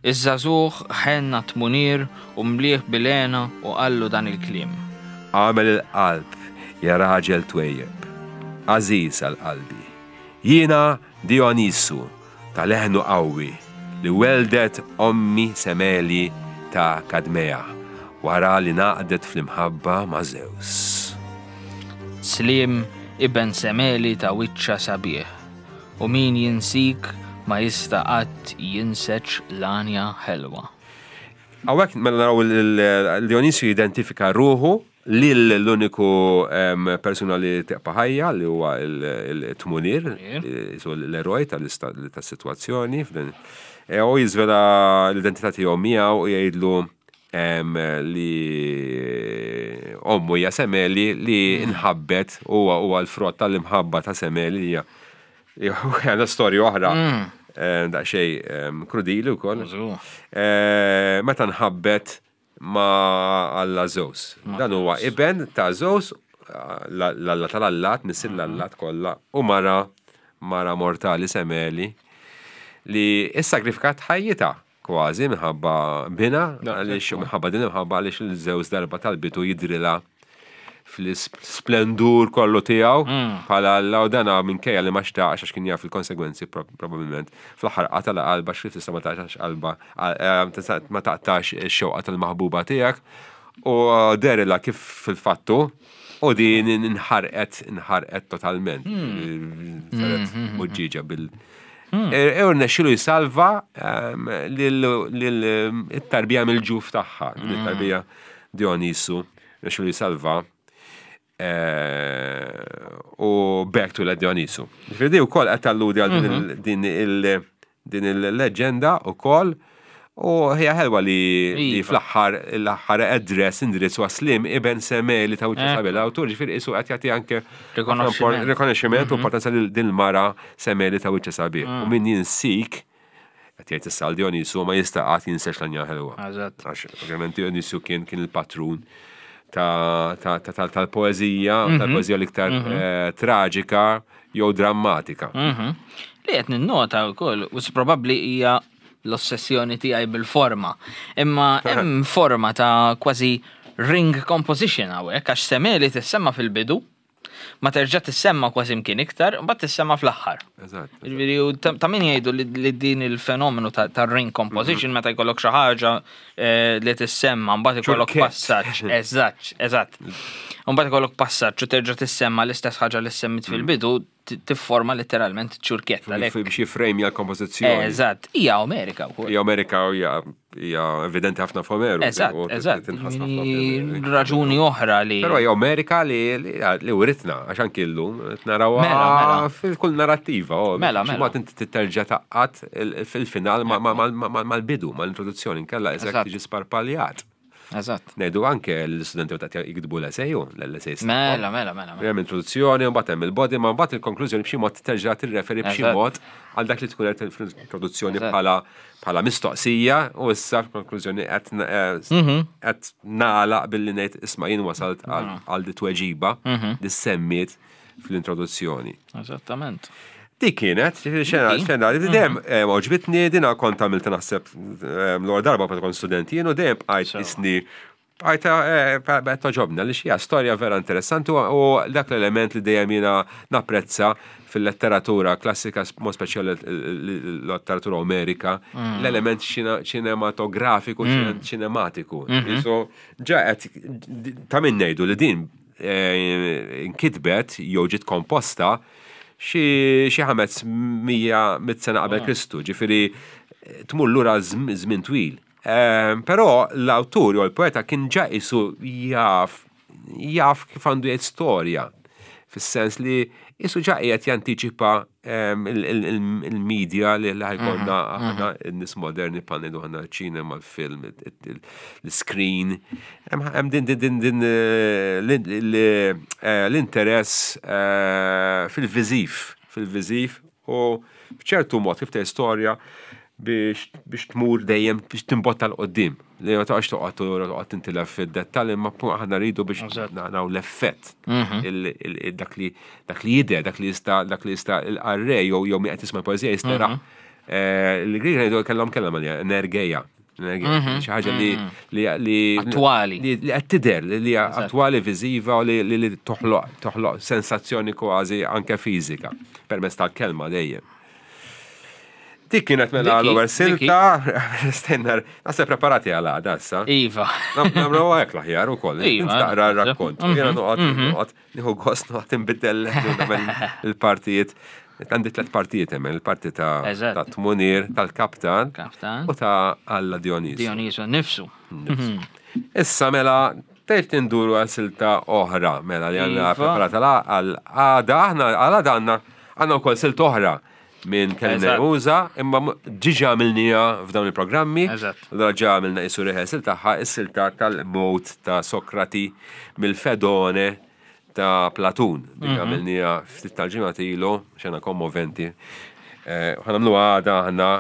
S2: Iż-żagħżugħ ħenna tmunir u mlieħ bilena u qallu dan il-kliem.
S1: Għamel il-qalb, ja raġel twejjeb, għażiż għal qalbi. Jiena Dionisu, ta' leħnu qawwi, li weldet ommi Semeli ta' Kadmea, wara li naqdet fl-imħabba ma' Zeus.
S2: Slim iben Semeli ta' wiċċa sabiħ u min jinsik ma jista' qatt jinseċ l-għanja ħelwa.
S1: Għawek, mela naraw il-Dionisu jidentifika ruħu lil l-uniku em, persuna li teqpa ħajja li huwa il-tmunir,
S2: Tmunir.
S1: l-eroj tal-situazzjoni. f'din- E, U jiżvela l-identità tiegħu miegħu u jgħidlu em, li ommu hija Semeli li nħabbet huwa huwa l-frott tal-imħabba ta' Semeli li hija hija storja oħra. eh, Daqsxejn em, krudili wkoll.
S2: Żgur.
S1: Eh, meta nħabbet ma' Alla Zeus. Dan huwa iben ta' Zeus, l-alla tal-allat, missier l-allat kollha, u mara mara mortali Semeli li issagrifikat ħajjitha kważi minħabba bina, għaliex minħabba din imħabba għaliex il-Zeus darba tal-bitu jidrilha Fl-splendur kollu tiegħu bħala Alla, u dana minkejja li ma xtaqx, għax kien jaf il-konsegwenzi probabbilment. Fl-aħħar qatala qalba, xrif tista' ma taqtax qalba, eh, ma taqtax ix-xewqa tal-maħbuba tiegħek, u derilha kif fil-fattu u din inħarqet inħarqet totalment. Saret muġġiġa bil E u rnexxielu jsalva lil-tarbija mill-ġuf tagħha, it-tarbija Dionisu, rnexxielu jsalva u back to Dionisu. Ġifieri wkoll qed talludi għal din il- din il-leġenda ukoll. U hija ħelwa li li
S2: Iva.
S1: fl-aħħar l-aħħar address, indirizz waslim iben Semeli ta' wiċċ sabiħ. L-awtur ġifieri isu qed jagħti anke
S2: Rikonoxximent.
S1: rikonoxximent u importanza lil din il-mara Semeli ta' wiċċ sabiħ. U min jinsik, qed jgħid issa għal Dionisu, ma jista' qatt jinsex l-anja ħelwa.
S2: Eżatt.
S1: Għax ovvjament Dionisu kien kien il-patrun ta' ta' ta' tal- tal-poeżija, tal-poeżija l-iktar eh, traġika jew drammatika.
S2: Mhm. Li qed ninnota wkoll, u probabbli hija l-ossessjoni tiegħi bil-forma. Imma hemm forma ta' kważi ring composition hawnhekk, għax Semeli tissemma fil-bidu, ma terġa' tissemma kważi mkien iktar, u mbagħad tissemma fl-aħħar.
S1: Eżatt.
S2: Ġifieri, u ta' ta' min jgħidu li, li din il-fenomenu ta', ta' ring composition meta jkollok xi ħaġa eh, li tissemma, mbagħad ikollok
S1: Ċurkett.
S2: passaġġ, eżatt, eżatt. Mbagħad ikollok passaġġ u terġa' tissemma l-istess ħaġa li semmit fil-bidu, ti- tifforma letteralment ċurkett għalhekk.
S1: Biex jifrejmja l-kompożizzjoni.
S2: Eżatt, hija Omerika wkoll.
S1: Hija Omerika u hija hija evidenti ħafna f'Omeru.
S2: Eżatt,
S1: u
S2: eżatt.
S1: tinħass ħafna f'Omeru.
S2: Raġuni oħra li.
S1: Però hija Omerika li li li uritna, għax anki llum qed narawha
S2: Mela, mela.
S1: fil-kull narrattiva. oh,
S2: Mela,
S1: xi
S2: mela.
S1: mod inti terġa' taqqat il- fil-final ma- ma- ma- ma- mal-bidu, mal-introduzzjoni, inkella eżatt
S2: Eżatt.
S1: tiġi sparpaljat.
S2: Eżatt.
S1: Ngħidu anke l-istudenti meta jiktbu l-essay, l-essay.
S2: Mela, mela, mela. mela.
S1: Hemm introduzzjoni, u mbagħad hemm il-body, ma mbagħad il-konklużjoni b'xi mod terġa' tirreferi b'xi
S2: Eżatt.
S1: mod għal dak li tkun qed fl-introduzzjoni
S2: Eżatt.
S1: bħala bħala mistoqsija, u issa fil-konklużjoni qed eh,
S2: Mhm.
S1: qed nagħlaq billi ngħid, isma', jien wasalt għal għal di tweġiba
S2: Mhm.
S1: li semmiet fl-introduzzjoni.
S2: Eżattament.
S1: Dik kienet, xena,
S2: Dik.
S1: xena, li dejjem eh, għoġbitni, dina kont għamilt naħseb eh, l-ewwel darba meta kont student jien, u dejjem bqajt
S2: So.
S1: isni bqajt eh, bqajt toġobna li xija storja vera interessanti u u dak l-element li dejjem jiena napprezza fil-letteratura klassika, mod speċjali l-letteratura Omerika, l-element ċinematografiku, ċinematiku. So, ġa qed ta' min ngħidu li din eh, inkitbet jew ġiet komposta xi xi ħames mija mit sena qabel Kristu, ġifieri eh, tmur lura żm- żmien twil. Ehm, Però l-awtur jew l-poeta kien ġa isu jaf jaf kif għandu jgħid storja, fis-sens li isu ġa qiegħed jantiċipa ehm, il- il- il- il-media li li ħa jkollna aħna n-nies moderni, bħal aħna ċinema, il-film, l-screen. Hemm hemm din din din din eh, l- l- eh, l-interess eh, fil-viżiv, fil-viżiv u f'ċertu mod kif tgħid storja biex biex tmur dejjem biex timbotta 'l quddiem. Li ma toqgħodx toqgħod toqgħod tintilef fid-dettall, imma pu- aħna rridu biex
S2: Eżatt.
S1: naraw l-effett. Il- il- Dak li dak li jidher, dak li jista' dak li jista' il-qarrej jew jew min qed jisma' poeżija jista' Il-Grieg ngħidu kellhom kellhom għalija energeja. Energeja, xi ħaġa li li li
S2: Attwali.
S1: li li qed tidher, li li hija attwali, viżiva u li li li toħloq toħloq sensazzjoni kważi anke fiżika permezz tal-kelma dejjem. Dik kienet mela
S2: Diki,
S1: l-ewwel silta, stenna, naħseb preparati għal għada issa.
S2: Iva.
S1: Nagħmlu hekk l-aħjar ukoll.
S2: Iva,
S1: Int taqra
S2: naħseb.
S1: r-rakkont. Jiena noqgħod noqgħod nieħu gost noqgħod inbiddel nagħmel il-partijiet. Għandi tliet partijiet hemm, il-parti ta'
S2: Eżatt.
S1: ta' Tmunir, tal-Kaptan
S2: Kaptan.
S1: u ta' Alla Dionisu.
S2: Dioniso nifsu.
S1: Issa mela tgħid induru għal silta oħra mela li għandna
S2: Iva.
S1: preparata la għal għada. Aħna għal għada għandna għandna wkoll silta oħra minn Kellimna
S2: Eżatt.
S1: Muża, imma m- ġiġa għamilnija f'dawn il-programmi.
S2: Eżatt.
S1: Allura ġa għamilna isu rehearsal tagħha, is-silta tal-mot ta' Sokrati mill-Fedone ta' Platun. Dik għamilnija ftit tal-ġimgħa ilu, xena kommoventi. Eh, Ħa nagħmlu għada aħna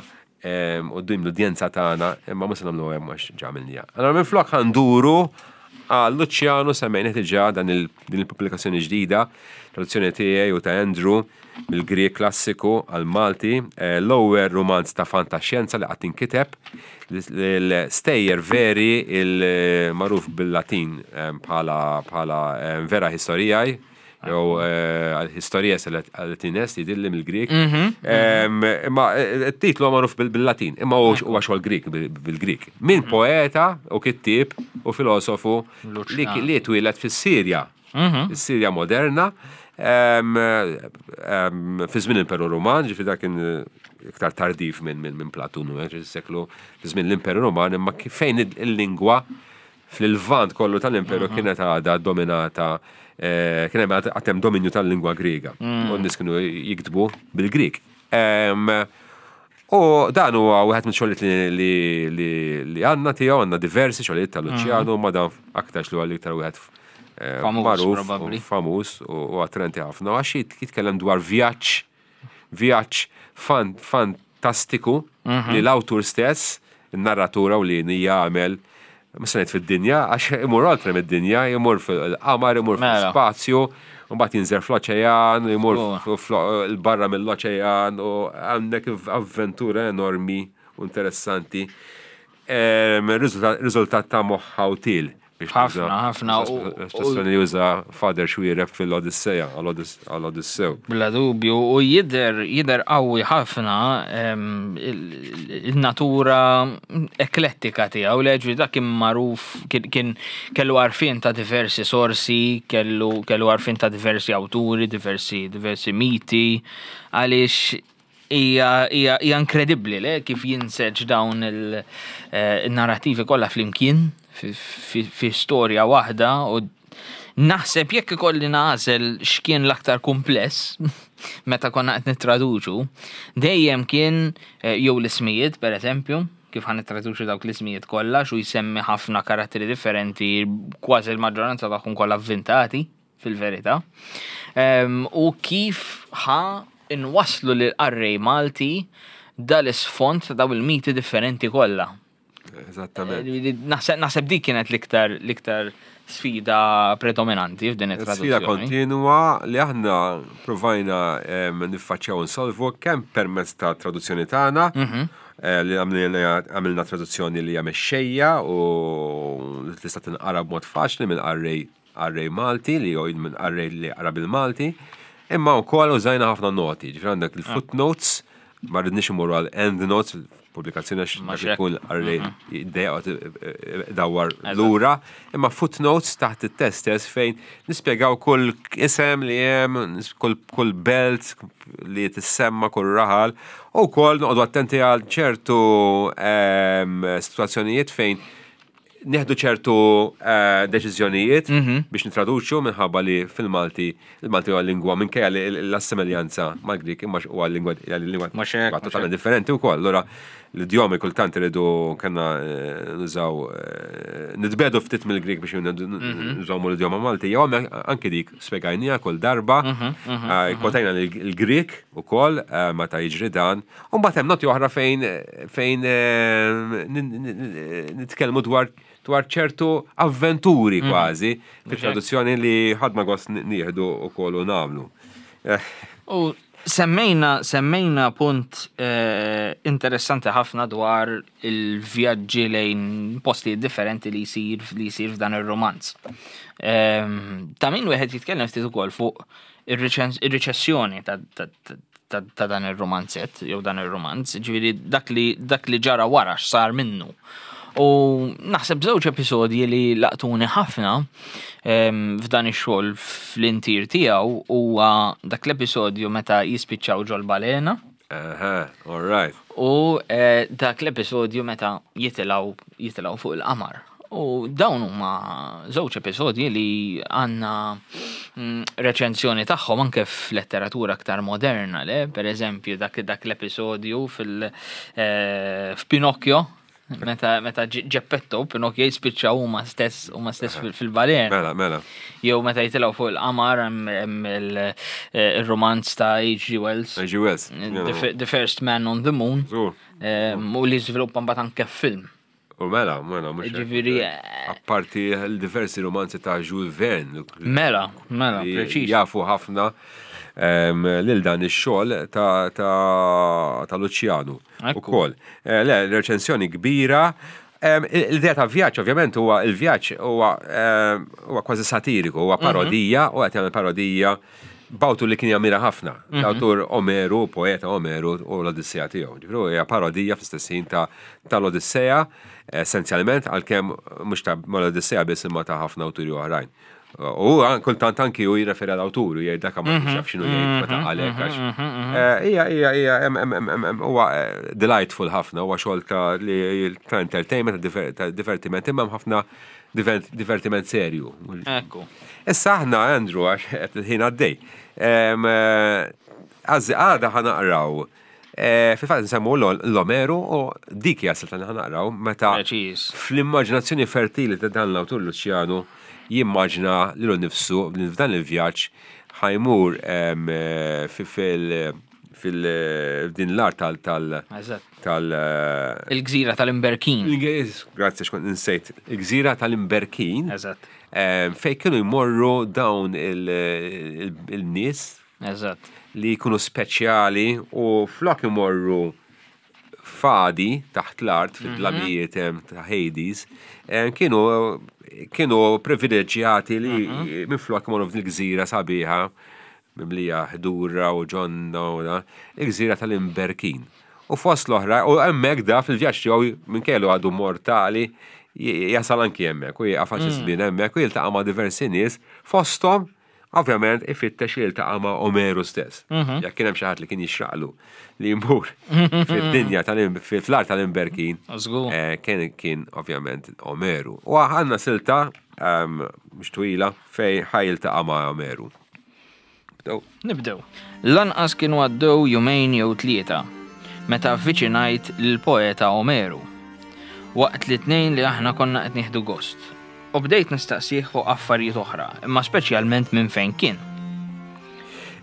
S1: u d l-udjenza tagħna, imma mhux se nagħmlu hemm għax ġa għamilnija. Allora minflok ħa nduru Għal Luciano semmejna diġà dan il- din il-pubblikazzjoni ġdida, traduzzjoni tiegħi u ta' Andrew mill-Grieg klassiku għal Malti, eh, l-ewwel romanz ta' fantaxjenza li qatt inkiteb, l-stejjer veri il-magħruf bil-Latin eh, bħala bħala eh, Vera Historiae, jew Histories Latines jidilli mill-Grieg. Em, Imma eh, it-titlu huwa magħruf bil- bil-Latin, imma huwa huwa xogħol Grieg bil- bil-Grieg. Min poeta u kittib u filosofu li
S2: Luciano.
S1: li twieled fis-Sirja. Is-Sirja moderna, em, em, fi żmien l-Imperu Ruman, ġifieri dak kien eh, iktar tardif minn minn minn Platun, eh, ġifieri seklu fi żmien l-Imperu Ruman, imma kif- fejn il-lingwa fil-Lvant kollu tal-Imperu kienet għadha dominata, eh, kien hemm għad hemm dominju tal-lingwa Griega. U n-nies kienu jiktbu bil-Grieg. Em, U dan huwa wieħed minn xogħlijiet li, li, li, li għandna tiegħu, għandna diversi xogħlijiet ta' Luciano, ma dan aktarx li huwa l-iktar wieħed eh,
S2: Famuż,
S1: magħruf u
S2: probabbli.
S1: famuż u u attraenti ħafna. Għax jit- jitkellem dwar vjaġġ, vjaġġ fan, fantastiku li l-awtur stess, il-narratura u li jagħmel mhux fid-dinja, għax imur oltre mid-dinja, imur fil-qamar, imur
S2: Mela.
S1: fil-spazju, u mbagħad jinżel fl-oċean, imur
S2: Oh.
S1: f- fl- il-barra mill-oċean, u għandek avventura enormi u interessanti. Em, Riżultat riżultat ta' moħħa u til. Biex
S2: Ħafna,
S1: nuża-
S2: ħafna, u-
S1: Espressjoni li juża Father Xuereb fil-Odisseja, għall-Odissew.
S2: Bla dubju, u jidher, jidher qawwi ħafna em, il- il-natura eklettika tiegħu, leġvi dak kien magħruf, kien- kien kellu għarfien ta' diversi sorsi, kellu kellu għarfien ta' diversi awturi, diversi diversi miti, għaliex hija hija hija inkredibbli le kif jinseġ dawn il-narrativi kollha flimkien fi, fi, fi storja waħda u naħseb jekk ikolli nagħżel x'kien l-aktar kumpless meta konna qed nittraduċu, dejjem kien eh, jew l-ismijiet pereżempju, kif ħa nittraduċu dawk l-ismijiet kollha xu jsemmi ħafna karatteri differenti, kważi l-maġġoranza tagħhom kollha avvintati fil-verità. Em, U kif ħa inwaslu lil qarrej Malti dal-isfond ta' daw il-miti differenti kollha.
S1: Eżattament.
S2: Naħseb naħseb dik kienet l-iktar l-iktar sfida predominanti f'din
S1: Sfida
S2: it-traduzzjoni.
S1: kontinwa li aħna provajna em, niffaċċjaw nsolvu kemm permezz ta' traduzzjoni tagħna,
S2: Mhm.
S1: eh, li għamilna għamilna traduzzjoni li hija mexxejja u li tista' tinqara b'mod faċli minn qarrej qarrej Malti li jew minn qarrej li qara bil-Malti, imma wkoll użajna ħafna noti, ġifieri għandek il-footnotes, ma rridniex imorru għal end notes, pubblikazzjoni għax
S2: Ma
S1: dak
S2: xek.
S1: ikun qarrej jiddejjaq dawar lura, imma footnotes taħt it-test stess fejn nispjegaw kull isem li hemm, kull, kull belt li tissemma, kull raħal, u wkoll noqogħdu attenti għal ċertu em, situazzjonijiet fejn nieħdu ċertu eh, deċiżjonijiet biex nitraduċu minħabba li fil-Malti, il-Malti huwa lingwa minkejja li l-assimiljanza mal-Grik imma huwa lingwa hija lingwa
S2: Mhux hekk, mhux
S1: totalment differenti wkoll. Allura l-idjomi kultant iridu kellna eh, nużaw eh, nitbedu ftit mill-Grik biex nużaw l-idjoma Malti. Jew anke dik spjegajnija kull darba, eh, kwotajna l-Grik ukoll eh, meta jiġri dan. U mbagħad hemm noti oħra fejn fejn eh, nin- nin- nitkellmu dwar dwar ċertu avventuri kważi fit-traduzzjoni li ħadna gost nieħdu ukoll u nagħmlu. Eh,
S2: U semmejna, semmejna punt eh, interessanti ħafna dwar il-vjaġġi lejn postijiet differenti li jsir li jsir f'dan ir-romanz. Ehm, Ta' min wieħed jitkellem ftit ukoll fuq ir-riċessjoni ta' ta' ta' ta' dan ir-romanzett jew dan ir-romanz, ġifieri dak li dak li ġara wara x'sar minnu. U naħseb żewġ episodji li laqtuni ħafna em, f'dan ix-xogħol fl-intir tiegħu huwa dak l-episodju meta jispiċċaw ġol balena
S1: Aha, all right.
S2: u eh, dak l-episodju meta jitilgħu jitilgħu fuq il-qamar. U dawn huma żewġ episodji li għandna mm, reċenzjoni tagħhom anke f'letteratura aktar moderna, le? Per eżempju, dak, dak l-episodju fil eh, f'Pinocchio, meta meta Ġ- Geppetto u Pinocchio jispiċċaw huma stess huma stess fil- fil-balena.
S1: Mela, mela.
S2: Jew meta jitilgħu fuq il-qamar hemm hemm il- eh, il-romanz ta' H G. Wells.
S1: H G. Wells.
S2: The, F- The First Man on the Moon.
S1: Żgur.
S2: Em, U li żviluppa mbagħad anke film.
S1: U mela, mela, mhux hekk.
S2: Ġifieri, eh,
S1: Apparti l-diversi romanzi ta' Jules Verne.
S2: Mela, mela,
S1: li
S2: preċiż.
S1: Jafu ħafna em, lil dan ix-xogħol ta' ta' ta' Luċjanu
S2: Ekku.
S1: ukoll. Eh, Le, reċensjoni kbira. Em, L-idea ta' vjaġġ ovvjament huwa il-vjaġġ huwa em, huwa kważi satiriku, huwa parodija, u qed jagħmel parodija b'awtur li kien jammira ħafna. L-awtur Omeru, poeta Omeru u l-Odissea tiegħu. Ġifieri hija parodija fl-istess ħin ta' tal-Odissea, essenzjalment għalkemm mhux ta' mal-Odissea biss imma ta' ħafna awturi oħrajn. U an- kultant anki u jirreferi għal-awtur u jgħid dak ma kienx jaf x'inhu jgħid meta qalek għax. Eh, Hija hija hija hemm hemm hemm hemm- hemm huwa eh, delightful ħafna, huwa xogħol ta' li ta' entertainment, ta' diver- ta' divertiment, imma hemm ħafna diver- divertiment serju.
S2: Ekku.
S1: Issa aħna, Andrew, għax qed il-ħin għaddej. Em, eh, Għazzi, għada ħa naqraw. eh, Fil-fatt nsemmu l-Omeru u dik hija silta li ħa naqraw meta
S2: Preċiż.
S1: fl-immaġinazzjoni fertili ta' dan l-awtur Luċjanu jimmaġina lilu nnifsu li f'dan il-vjaġġ ħa jmur em, eh, fi- fil- fil- f'din l-art tal tal
S2: Eżatt.
S1: tal eh,
S2: Il-gżira tal-Imberkin.
S1: il- Grazzi xkont insejt. Il-gżira tal-Imberkin.
S2: Eżatt.
S1: Em, Fej kienu jmorru dawn il- il- il-nies
S2: Eżatt.
S1: li jkunu speċjali u flok imorru fadi taħt l-art fid-dlamijiet em, ta' Hades, em, kienu kienu privileġġjati li minn flok imorru f'din il-gżira sabiħa mimlija ħdura u ġonna u da, il-gżira tal-Imberkin. U fost l-oħra, u hemmhekk da fil-vjaġġ tiegħu minn kellu għadu mortali, j- jasal anki hemmhekk u jieqaf għal xi żmien hemmhekk u jiltaqa' ma' diversi nies fosthom ovvjament ifittex li jiltaqa' ma' Omeru stess. Jekk kien hemm xi ħadd li kien jixraqlu li jmur fid-dinja tal fl-art tal-Imberkin.
S2: Żgur.
S1: eh, Kien kien ovvjament Omeru. U għandna silta ehm, mhux twila fej ħa jiltaqa' ma' Omeru. Bdew.
S2: Nibdew. Lanqas kienu għaddew jumejn jew tlieta, meta avviċinajt lill-poeta Omeru. Waqt li tnejn li aħna konna qed nieħdu gost. U bdejt nistaqsih fuq affarijiet oħra, imma speċjalment minn fejn kien.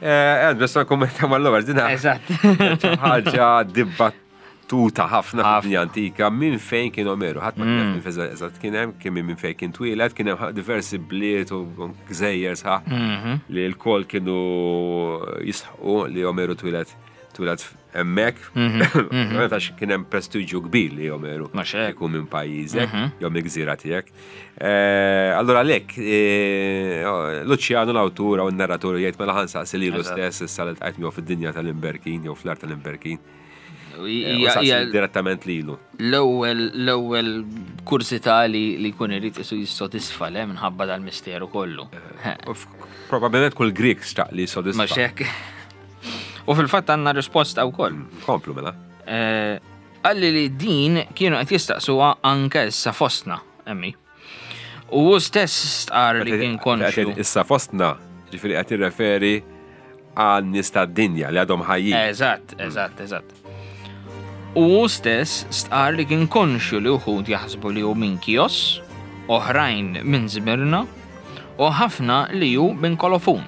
S1: Eh, Andrew, sa kommenta mal-ewwel dina.
S2: Eżatt.
S1: ħaġa dibattuta ħafna fid-dinja antika minn fejn kien Omeru. Ħadd ma kien jaf minn fejn eżatt kien hemm, kien minn fejn kien twieled, kien hemm diversi bliet u gżejjer sħaħ li l-kol kienu jisħqu li Omeru twieled twieled hemmhekk. Ovvjament għax kien hemm prestiġju kbir li Omeru
S2: Mhux hekk.
S1: ikun minn pajjiżek, jew mill-gżira tiegħek. Eh, Allura lek, Luċjanu l-awtur u n-narratur jgħid mela ħa nsaqsi lilu
S2: Eżatt.
S1: stess issa li ltqajt miegħu fid-dinja tal-Imberkin jew fl-art tal-Imberkin. Eh, u
S2: Hija
S1: saqsi
S2: hija
S1: direttament lilu.
S2: l-ewwel l-ewwel kursità li li jkun irid isu jissodisfa le minħabba dal-misteru kollu.
S1: U f- Probabilment kull Grik xtaq li jissodisfa.
S2: Mhux hekk. U fil-fatt għandna risposta wkoll.
S1: Komplu mela.
S2: Eh, Qalli li din kienu qed jistaqsuha anke issa fostna, emmi. U hu stess stqar li kien konxju.
S1: Issa fostna, ġifieri qed jirreferi għal nies tad-dinja li għadhom ħajjin.
S2: Eżatt, eżatt, eżatt. U hu stess stqar li kien konxju li uħud jaħsbu li hu minn Kios, oħrajn minn Zmirna, u ħafna li hu minn Kolofun.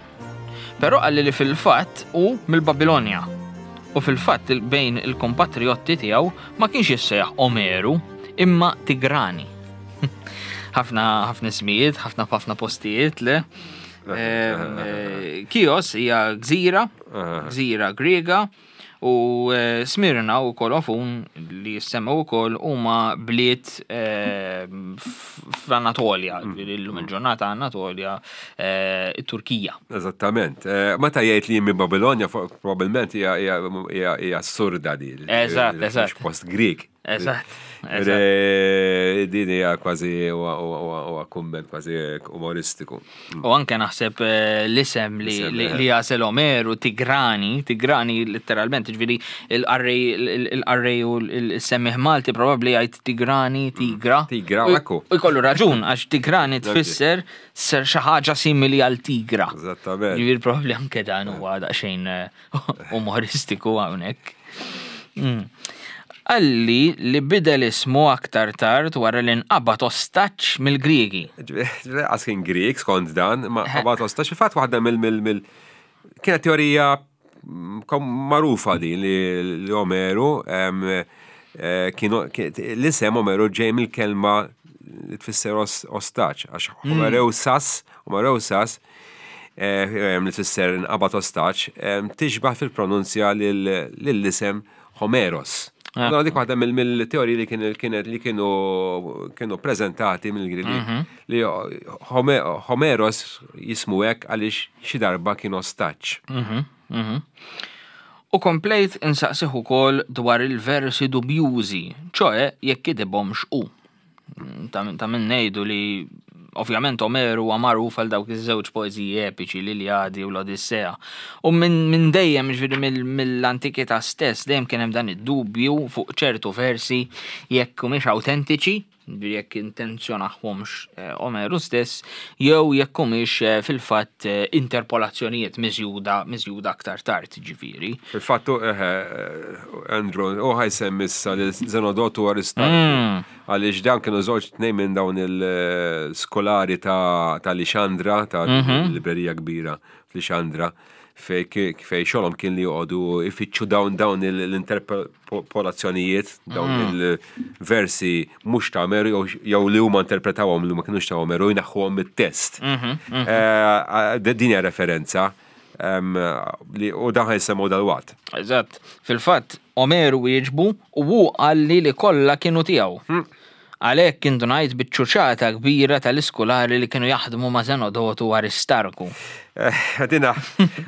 S2: Però qalli li fil-fatt hu mill-Babilonja. U fil-fatt il- bejn il-kompatriotti tiegħu ma kienx jissejjaħ Omeru, imma Tigrani. ħafna ħafna ismijiet, ħafna ħafna postijiet le. Em, eh, Kios hija gżira, gżira Griega, u eh, Smirna u Kolofun li jissemmew ukoll huma bliet eh, f- fl-Anatolja, ġifieri llum il-ġurnata Anatolja, eh, it-Turkija.
S1: Eżattament. Eh, Meta jgħid li minn Babilonja, fo- probabilment hija- hija hija- hija assurda di.
S2: Eżatt, eżatt.
S1: Mhux post Grik.
S2: Eżatt, eżatt.
S1: Re- Din hija kważi huwa- huwa huwa- huwa kumment kważi umoristiku.
S2: U anke naħseb eh, l-isem li,
S1: L-isem,
S2: li,
S1: eh.
S2: li għażel Omeru, Tigrani, Tigrani letteralment, ġifieri il-qarrej il-qarrej u l-semmiħ Malti probabli jgħid Tigrani, Tigra.
S1: Tigra,
S2: U-
S1: ekku.
S2: U jkollu raġun, għax Tigrani tfisser ser xi ħaġa simili għal Tigra.
S1: Eżattament.
S2: Ġifieri probabli anke dan huwa daqsxejn eh, umoristiku hawnhekk. Mm. Qalli li bidel ismu aktar tard wara li nqabad ostaġġ mill-Griegi.
S1: Ġifieri, Għas kien Grik skont dan, ma qabad ostaġġ. Fil-fatt waħda mill mill mill kienet teorija mm, kom- magħrufa din li li Omeru em, eh, kienu l-isem Omeru ġej mill-kelma li tfisser ostaġġ, għax Homereusas, Homereusas, eh, li tfisser nqabad ostaġġ, tixbaħ fil-pronunzja lill-isem Homeros. Allora dik waħda mill-teoriji li kienet li kienu kienu preżentati mill-Griegi li Homeros jismu hekk għaliex xi darba kien ostaġġ.
S2: U komplejt insaqsih ukoll dwar il-versi dubjużi, ċoe jekk kitibhomx hu. Ta' min ngħidu li ovvjament Omeru huwa magħruf għal dawk iż-żewġ poeżiji epiċi, l-Iljadi u l-Odissea. U minn dejjem, ġifieri mill-antikità stess, dejjem kien hemm dan id-dubju fuq ċertu versi jekk humiex awtentiċi, jekk intenzjonahomx Omeru stess, jew jekk humiex fil-fatt interpolazzjonijiet miżjuda miżjuda aktar tard, ġifieri.
S1: Fil-fatt, Andrew, u ħa jsemmi issa li Zenodotu Aristarku, għaliex dan kienu żewġ tnejn minn dawn il-skolari ta' Lixandra, ta' librerija kbira f'Lixandra, fej xogħolhom kien li joqogħdu ifittxu dawn dawn l-interpolazzjonijiet, dawn il-versi mhux ta' Omeru jew li huma interpretawhom li ma kinux ta' Omeru jneħħuhom mit-test. Din hija referenza u dan ħa jsemmu dal-waqt.
S2: Eżatt. Fil-fatt, Omeru wieġbu u hu qalli li kollha kienu tiegħu. Għalhekk indunajt biċ-ċuċata kbira tal-iskulari li kienu jaħdmu ma' Zenodotu u Aristarku.
S1: Għadina,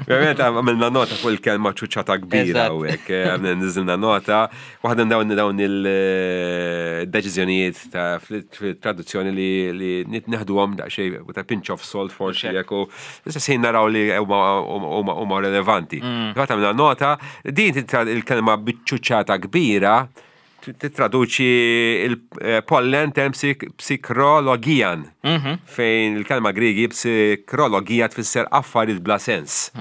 S1: ovvjament għamilna nota fuq il-kelma ċuċata kbira u hekk, għamilna niżilna nota, waħda dawn dawn il-deċiżjonijiet ta' fil-traduzzjoni li neħduhom daqsxejn with a pinch of salt forsi jekk u issa naraw li huma relevanti. Fatt għamilna nota, din il-kelma biċ-ċuċata kbira titraduċi il-pollen tem psikrologian, fejn il-kelma Grigi psikrologia tfisser affarijiet bla sens.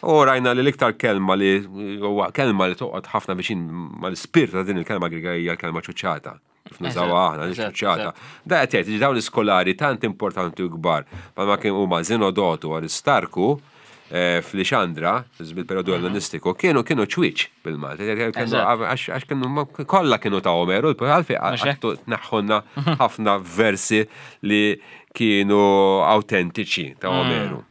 S1: U rajna li l-iktar kelma li huwa kelma li toqgħod ħafna viċin mal-ispirtu ta' din il-kelma Griega hija l-kelma ċuċata. Kif nużawha aħna, ċuċata. Da qed jgħid dawn l-iskolari tant importanti u kbar, ma kien huma Zenodotu u Aristarku, f'Lixandra, bil-periodu ellenistiku, kienu kienu ċwiċ bil-Malti. Għax kienu kollha kienu ta' Omeru, għalfejn għattu tneħħulna ħafna versi li kienu autentiċi ta' Omeru.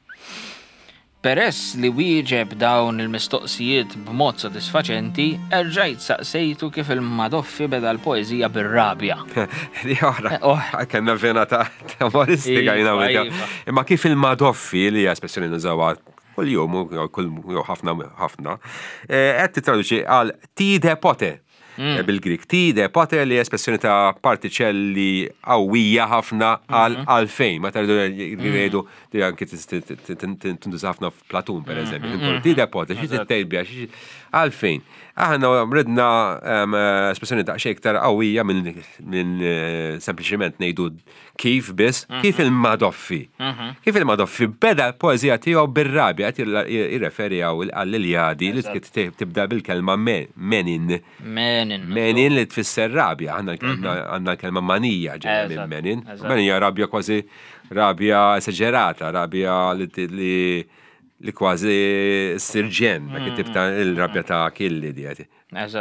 S2: Peress li wieġeb dawn il-mistoqsijiet b'mod sodisfaċenti, erġajt saqsejtu kif il-Madoffi beda l-poeżija bir-rabja.
S1: Di oħra, kellna vena ta' umoristika jina Imma kif il-Madoffi li hija espressjoni nużawha kull-jum, kull ħafna ħafna, qed titraduċi għal ti de pote. Bil-Grik, ti de pote li espressjoni ta' partiċelli qawwija ħafna għal għalfejn. Ma tardu jgħidu di anki tintuża ħafna f'Platun, per eżempju. Ti de pote, xi tittejbja, għalfejn. Aħna ridna espressjoni daqsxejn iktar qawwija minn sempliċement ngħidu kif biss, kif il-Madoffi. Kif il-Madoffi beda l-poeżija tiegħu bir-rabja, qed jirreferi għall-Iljadi li tibda bil-kelma menin.
S2: Menin.
S1: Menin li tfisser rabja, aħna għandna l-kelma manija ġejja minn menin. Menin hija rabja kważi rabja esaġerata, rabja li li kważi sirġen, dak it-tip ta' il-rabja ta' Achilli di għati.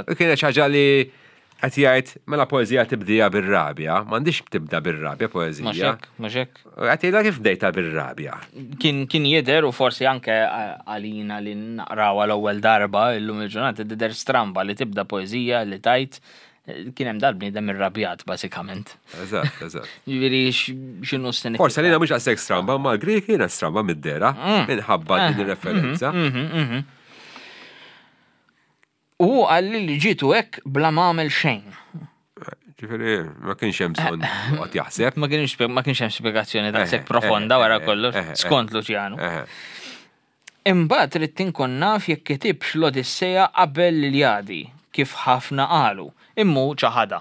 S1: U kienet ħaġa li qed jgħid mela poeżija tibdija bir-rabja, m'għandix tibda bir-rabja poeżija.
S2: Mhux hekk, mhux hekk.
S1: Qed jgħidha kif bdejta bir-rabja.
S2: Kien kien jidher u forsi anke għalina li naqraw għal ewwel darba illum il-ġurnata tidher stramba li tibda poeżija li tajt kien hemm dal-bniedem irrabjat bażikament.
S1: Eżatt, eżatt.
S2: Ġifieri x'inhu s-sinifikat?
S1: Forsi għalina mhux daqshekk stramba, ma l-Grek kienet stramba mid-dera minħabba din ir-referenza.
S2: U qalli li ġitu hekk bla ma għamel xejn.
S1: Ġifieri ma kienx hemm bżonn joqgħod jaħseb.
S2: Ma kienx ma kienx hemm spjegazzjoni daqshekk profonda wara kollox, skont Luċjanu. Imbagħad ridt inkun naf jekk kitibx l-Odissea qabel l-Iljadi, kif ħafna qalu, immu ċaħada.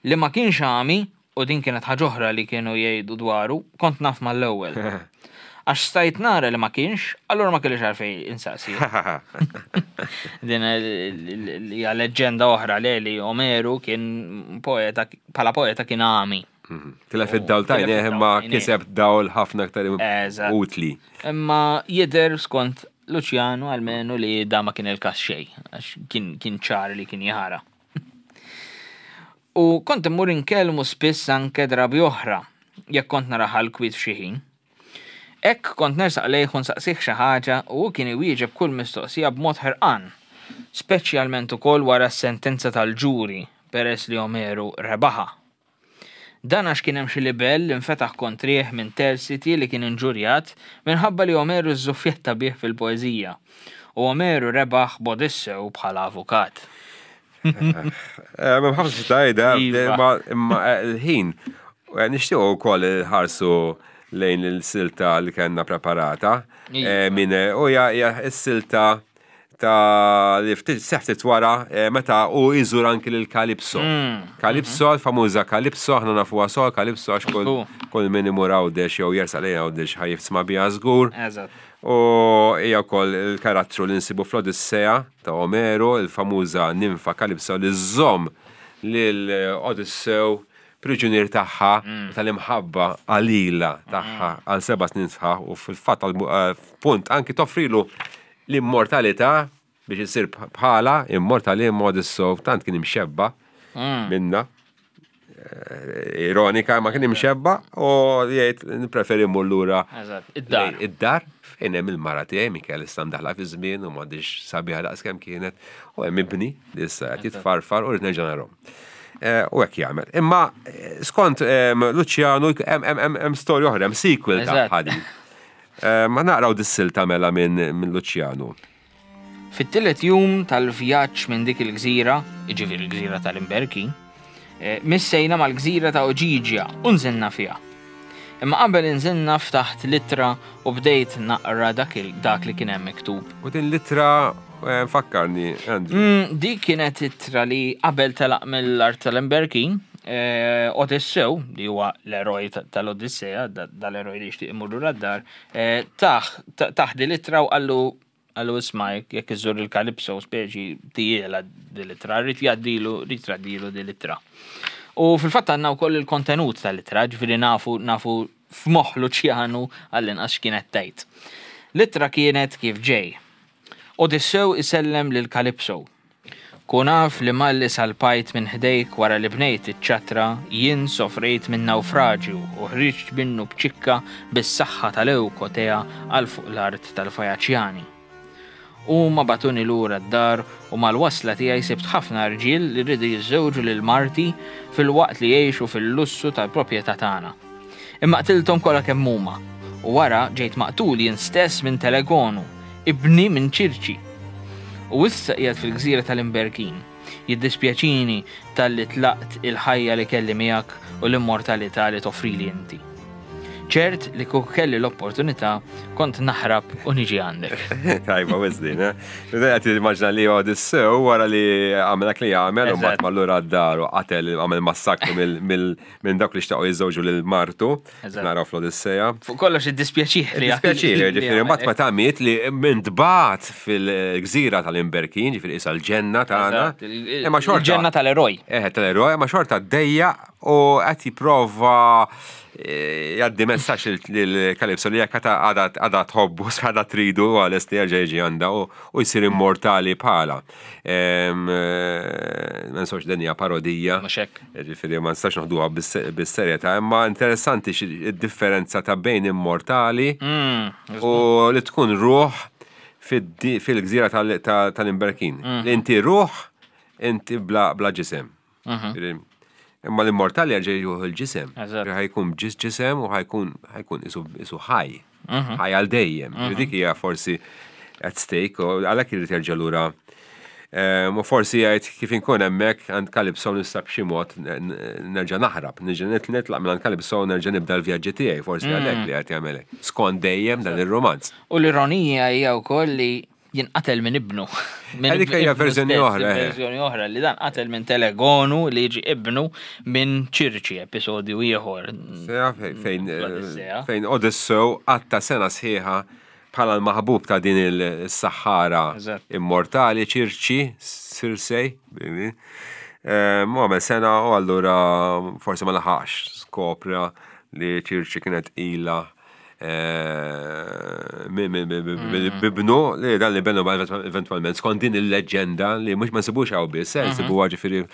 S2: Li ma kienx għami, u din kienet ħaġa oħra li kienu jgħidu dwaru, kont naf mal-ewwel. Għax stajt nara li ma kienx, allura ma kellix għalfejn insaqsi. Din hija leġġenda oħra li li Omeru kien poeta, bħala poeta kien għami.
S1: Tilef id-dawl ta'
S2: Tilef
S1: għajnejh,
S2: id-dawl
S1: imma
S2: ta' għajnejh.
S1: kiseb dawl ħafna aktar utli.
S2: Imma jidher skont Luċjanu almenu li da ma kien il-kas xejn, għax kien, kien ċar li kien jara. U kont immur inkellmu spiss anke drabi oħra, jekk kont naraha l-kwiet f'xi ħin. Hekk kont nersaq lejh u nsaqsih xi ħaġa u hu kien iwieġeb kull mistoqsija b'mod ħerqan, speċjalment ukoll wara s-sentenza tal-ġuri peress li Omeru rebaħa. Dan għax kien hemm xi libell li nfetaħ kontrih minn Tersiti li kien inġurjat minħabba li Omeru żżuffjetta bih fil-poeżija. U Omeru rebaħ b'Odissew bħala avukat.
S1: Eh, Ma ħafna tajda,
S2: Iva.
S1: imma eh, l-ħin, eh, nixtiequ wkoll ħarsu lejn il-silta li kellna preparata.
S2: Iva.
S1: Eh, Min u hija hija s-silta ta' li ftit seħftit wara eh, meta u iżur anki lil Kalipso.
S2: Mm.
S1: Kalipso, l-famuża Kalipso, aħna nafuha sol, Kalipso għax kull
S2: Żgur.
S1: kull min imur Għawdex jew jersaq lejn Għawdex ħa jisma' biha żgur.
S2: Eżatt.
S1: U hija wkoll il-karattru li nsibu fl-Odissea ta' Omeru, il-famuża ninfa Kalipso li żżomm lil Odissew priġunier tagħha tal-imħabba qalila tagħha għal seba' snin sħaħ u fil-fatt għal eh, punt anki toffrilu l-immortalità biex isir bħala immortali imma Odissew tant kien imxebba minna eh, ironika ma kien imxebba u jgħid nippreferi mmur lura
S2: Eżatt, id-dar.
S1: lejn Id-dar fejn hemm il-mara tiegħi Mikel issa mdaħla fi żmien u m'għadix sabiħa daqs kemm kienet u hemm ibni li issa qed jitfarfar u rrid nerġa' narhom. Eh, U hekk jagħmel. Imma eh, skont em, Luciano hemm hemm hemm hemm storja oħra, hemm sequel
S2: Eżatt.
S1: ta' ħadi. Eh, Ma naqraw dis-silta mela minn minn Luciano.
S2: Fit-tielet jum tal-vjaġġ minn dik il-gżira, jiġifieri il-gżira tal-Imberki, eh, missejna mal-gżira ta' Oġiġja u nżilna fiha. Imma qabel inżilna ftaħt litra u bdejt naqra dak, il- dak li kien hemm miktub.
S1: U din litra eh, fakkarni, Andrew.
S2: Mm, dik kienet ittra li qabel telaq mill-art tal-Imberkin, eh, Odissew, li huwa l-eroj ta- tal-Odissea, da- dal-eroj li jixtieq imur lura d-dar, eh, taħ ta- taħ di l-ittra u qallu qallu isma' jekk jekk iżżur il-Kalipso speċi tiela di l-ittra, rrid jgħaddilu, rrid jgħaddilu di l-ittra. U fil-fatt għandna wkoll il-kontenut tal-ittra, ġifieri nafu nafu f'moħħ Luċjanu għall-inqas x'kienet tgħid. L-ittra kienet kif ġej. Odissew isellem lil Kalipso. Kun af li malli salpajt minn ħdejk wara li bnejt iċ-ċatra, jien sofrejt minn nawfraġju u ħriġt minnu bċikka bis-saħħa tal-Ewkotea għal fuq l-art tal-Fajaċjani. Huma bagħtuni lura d-dar u mal-wasla tiegħi sibt ħafna rġiel li rridu jiżżewġu lil marti fil-waqt li jgħixu fil-lussu tal-proprjetà tagħna. Imma qtilthom kollha kemm huma u wara ġejt maqtul jien stess minn Telegonu, ibni minn Ċirċi. U issa qiegħed fil-gżira tal-Imberkin. Jiddispjaċini talli tlaqt il-ħajja li kelli miegħek u l-immortalità li toffrili inti. Ċert li kieku kelli l-opportunità kont naħrab u niġi għandek.
S1: Tajba, wizdin, eh? Għati immaġna li Odissew wara li għamel dak li għamel, u
S2: Eżatt.
S1: mbagħad mallura d-dar u qatel għamel massakru mill- mill- minn dawk li xtaqu jiżżewġu lil martu.
S2: Eżatt.
S1: Naraw fl-Odissea.
S2: Fuq kollox id-dispjaċih li
S1: Dispjaċiri,
S2: li
S1: ġifieri,
S2: għamel.
S1: mbagħad meta miet li minn tbat fil-gżira tal-Imberkin, ġifieri isa l-ġenna tagħna.
S2: Eżatt, il- il-
S1: Imma xorta.
S2: Il-ġenna tal-eroj.
S1: Eh, tal-eroj, ma xorta d-dejja u qed jipprova eh, jgħaddi messaġġ lil Kalipso li jekk għadha għadha tħobbu, għadha tridu għal li jerġa' jiġi għandha u u jsir immortali bħala. Em, eh, Ma nsawx din hija parodija.
S2: Mhux hekk.
S1: Ġifieri ma nistax noħduha bis- bis-serjetà, imma interessanti xi- id-differenza ta' bejn immortali
S2: Mm,
S1: u li tkun ruħ fid- fil-gżira tal- tal- tal-Imberkin.
S2: Mm.
S1: Li inti ruħ, inti bla bla ġisem.
S2: Mhm.
S1: Imma l-immortali jerġa' jieħu l-ġisem.
S2: Eżatt.
S1: Ħajkun ġis ġisem u ħajkun ħajkun isu isu ħaj.
S2: Mhm.
S1: Ħaj għal dejjem. Dik hija forsi at stake u għalhekk irid jerġa' lura. Ehm, U forsi jgħid kif inkun hemmhekk għand Kalipso nista' b'xi mod n- n- nerġa' naħrab, nerġa' nit- nitlaq minn għand Kalipso u nerġa' nibda l-vjaġġi tiegħi, forsi għalhekk li qed jagħmel hekk. Skont dejjem dan ir-romanz.
S2: U l-ironija hija wkoll li jinqatel minn ibnu. Minn
S1: Eh, dik hija
S2: ibnu
S1: verżjoni
S2: stess,
S1: oħra, eh.
S2: Verżjoni oħra li dan qatel minn Telegonu li jiġi ibnu minn Ċirċi, episodju ieħor.
S1: Sejja, fej- fejn
S2: Fl-Odissea.
S1: fejn Odissew għatta sena sħiħa bħala l-maħbub ta' din il-saħħara
S2: Eżatt.
S1: immortali Ċirċi, Sirsej, baby. Eh, Mu għamel sena u allura forsi ma laħax skopra li Ċirċi kienet ila eh, mi- mi- mi- mi- mi- bibnu li dan li benu eventualment skont din il-leġenda li mhux ma nsibux hawn biss, eh, nsibuha ġifieri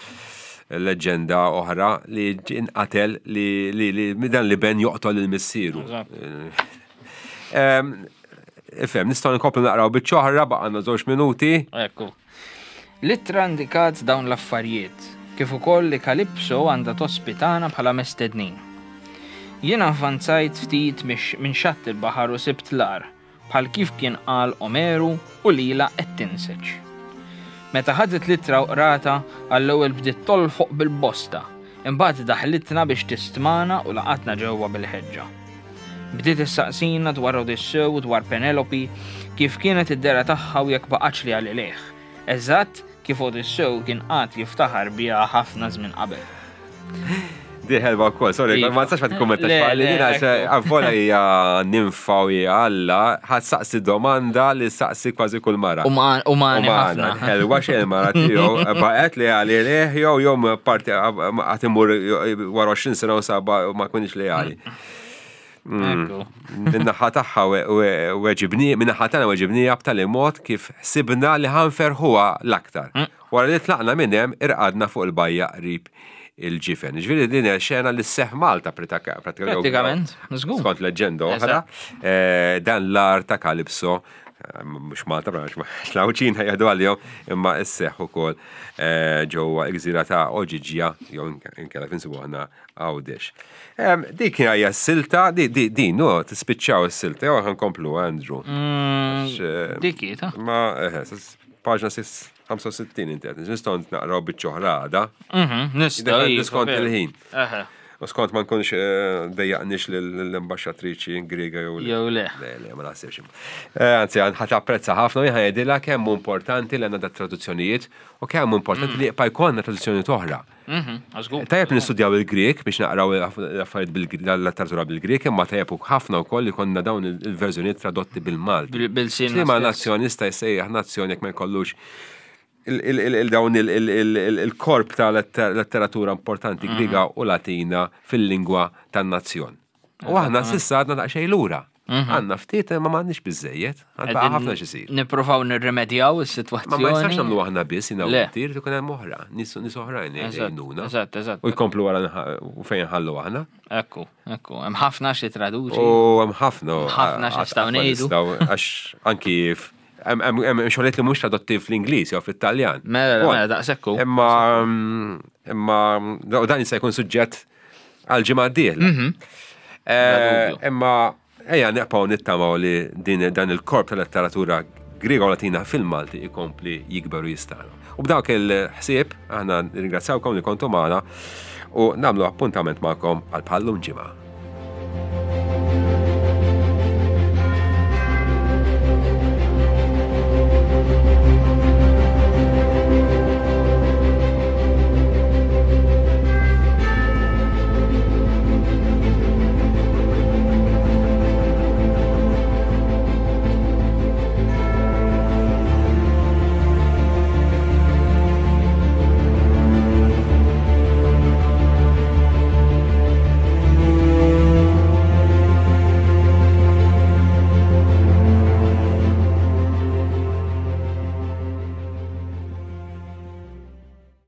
S1: Leġenda oħra li inqatel li li li dan li ben joqtol il-missieru. Em, Ifhem, nistgħu nkomplu naqraw biċċa oħra, baqgħanna żewġ minuti.
S2: Ekku. L-ittra indikat dawn l-affarijiet, kif ukoll li Kalipso għandha tospitana bħala mestednin. Jiena avvanzajt ftit mix- minn xatt il-baħar u sibt l-għar, bħal kif kien qal Omeru u lila qed tinseġ. Meta ħadet l-ittra u qrata, għall-ewwel bdiet tolfoq bil-bosta, imbagħad daħlitna biex tistmana u laqatna ġewwa bil-ħeġġa. Bdiet issaqsina dwar Odissew u dwar Penelope, kif kienet id-dehra tagħha u jekk baqgħetx leali lejh. Eżatt kif Odissew kien qatt jiftaħar biha ħafna żmien qabel.
S1: Di ħelwa wkoll, sorry,
S2: Iva.
S1: ma nistax ma tikkummentax
S2: Le,
S1: li
S2: le,
S1: dina
S2: ekku.
S1: għavvola hija nimfa u hija Alla, ħadd saqsi domanda li saqsi kważi kull mara.
S2: Uman- Umani
S1: Umana,
S2: ħafna.
S1: ħelwa xejn mara tiegħu, baqgħet leali lejh jew jew parti għad imur wara għoxrin sena u saba u ma kunix leali.
S2: Ekku.
S1: Min-naħa tagħha weġibni, min-naħa tagħna weġibnija b'tali mod kif sibna li ħanferħuha l-aktar. Wara li tlaqna minn hemm irqadna fuq il-bajja qrib il-ġifen. Ġifieri din hija xena li sseħħ Malta pratika- pratikament.
S2: Pratikament, żgur.
S1: Skont leġenda oħra, eh, dan l-għar ta' Kalipso, eh, mhux Malta, mhux l-Għawdxin jgħidu għalihom, imma sseħħ ukoll eh, ġewwa l-gżira ta' Oġiġja, jew inkella finsibu aħna Għawdex. Em, Dik hija s-silta, di, di, di, no, tispiċċaw is-silta, jew ħa nkomplu, Andrew.
S2: Mm,
S1: Għax, eh,
S2: Dik hi ta'
S1: Ma, eh, paġna ħamsa u sittin inti għed, nistgħu naqraw biċċa oħra għada.
S2: Mhm, nistgħu.
S1: Id-
S2: iva,
S1: skont
S2: veru.
S1: il-ħin.
S2: Eħe.
S1: U skont ma nkunx eh, dejjaqnix l-ambasċatriċi Griega jew
S2: Jew le.
S1: Le, le, ma naħsibx. Eh, Anzi, ħa tapprezza ħafna u ħa jgħidilha kemm hu importanti li għandna da traduzzjonijiet u kemm hu importanti li jibqa' jkollna traduzzjonijiet oħra.
S2: Mhm, żgur.
S1: Tajjeb nistudjaw il-Grek biex naqraw l-affarijiet bil-letteratura bil-Grek, imma tajjeb ħafna wkoll li konna dawn il-verżjonijiet tradotti bil-Malti.
S2: Bil- bil-sin
S1: Li ma
S2: stess.
S1: nazzjon jista' jsejjaħ nazzjon jekk ma jkollux il- il- il- il- dawn il- il- il- il- il-korp ta' letter- letteratura importanti Griega u Latina fil-lingwa tan-nazzjon. U aħna s'issa għadna daqsxejn lura. Għandna ftit imma m'għandniex biżejjed, għandna ħafna x'isir.
S2: Nippruvaw nirrimedjaw
S1: Ma
S2: is-sitwazzjoni.
S1: ma jistax nagħmlu aħna biss jiena u
S2: Le.
S1: tir ikun hemm oħra, nies nies oħrajn
S2: Eżatt,
S1: jgħinuna.
S2: eżatt, eżatt.
S1: U jkomplu wara nħ- u fejn ħallu aħna.
S2: Ekku, ekku. Hemm ħafna xi traduċi.
S1: U hemm ħafna.
S2: Ħafna x'nistgħu
S1: ħafna
S2: ngħidu.
S1: nistgħu, għax anki f- hemm hemm- hemm xogħlijiet li mhux tradotti fl-Ingliż jew fit-Taljan.
S2: Mela,
S1: Ukoll.
S2: mela, daqshekk hu.
S1: Imma imma u dan jista' jkun suġġett għal ġimgħa d-dieħla. Eh,
S2: Bla dubju.
S1: Imma ejja neqpaw nittamaw li din dan il-korp tal-letteratura Griega u Latina fil-Malti ikompli jikber u jistana. U b'dawk il-ħsieb aħna nirringrazzjawkom li kontu magħna u nagħmlu appuntament magħkom għal bħallum ġimgħa.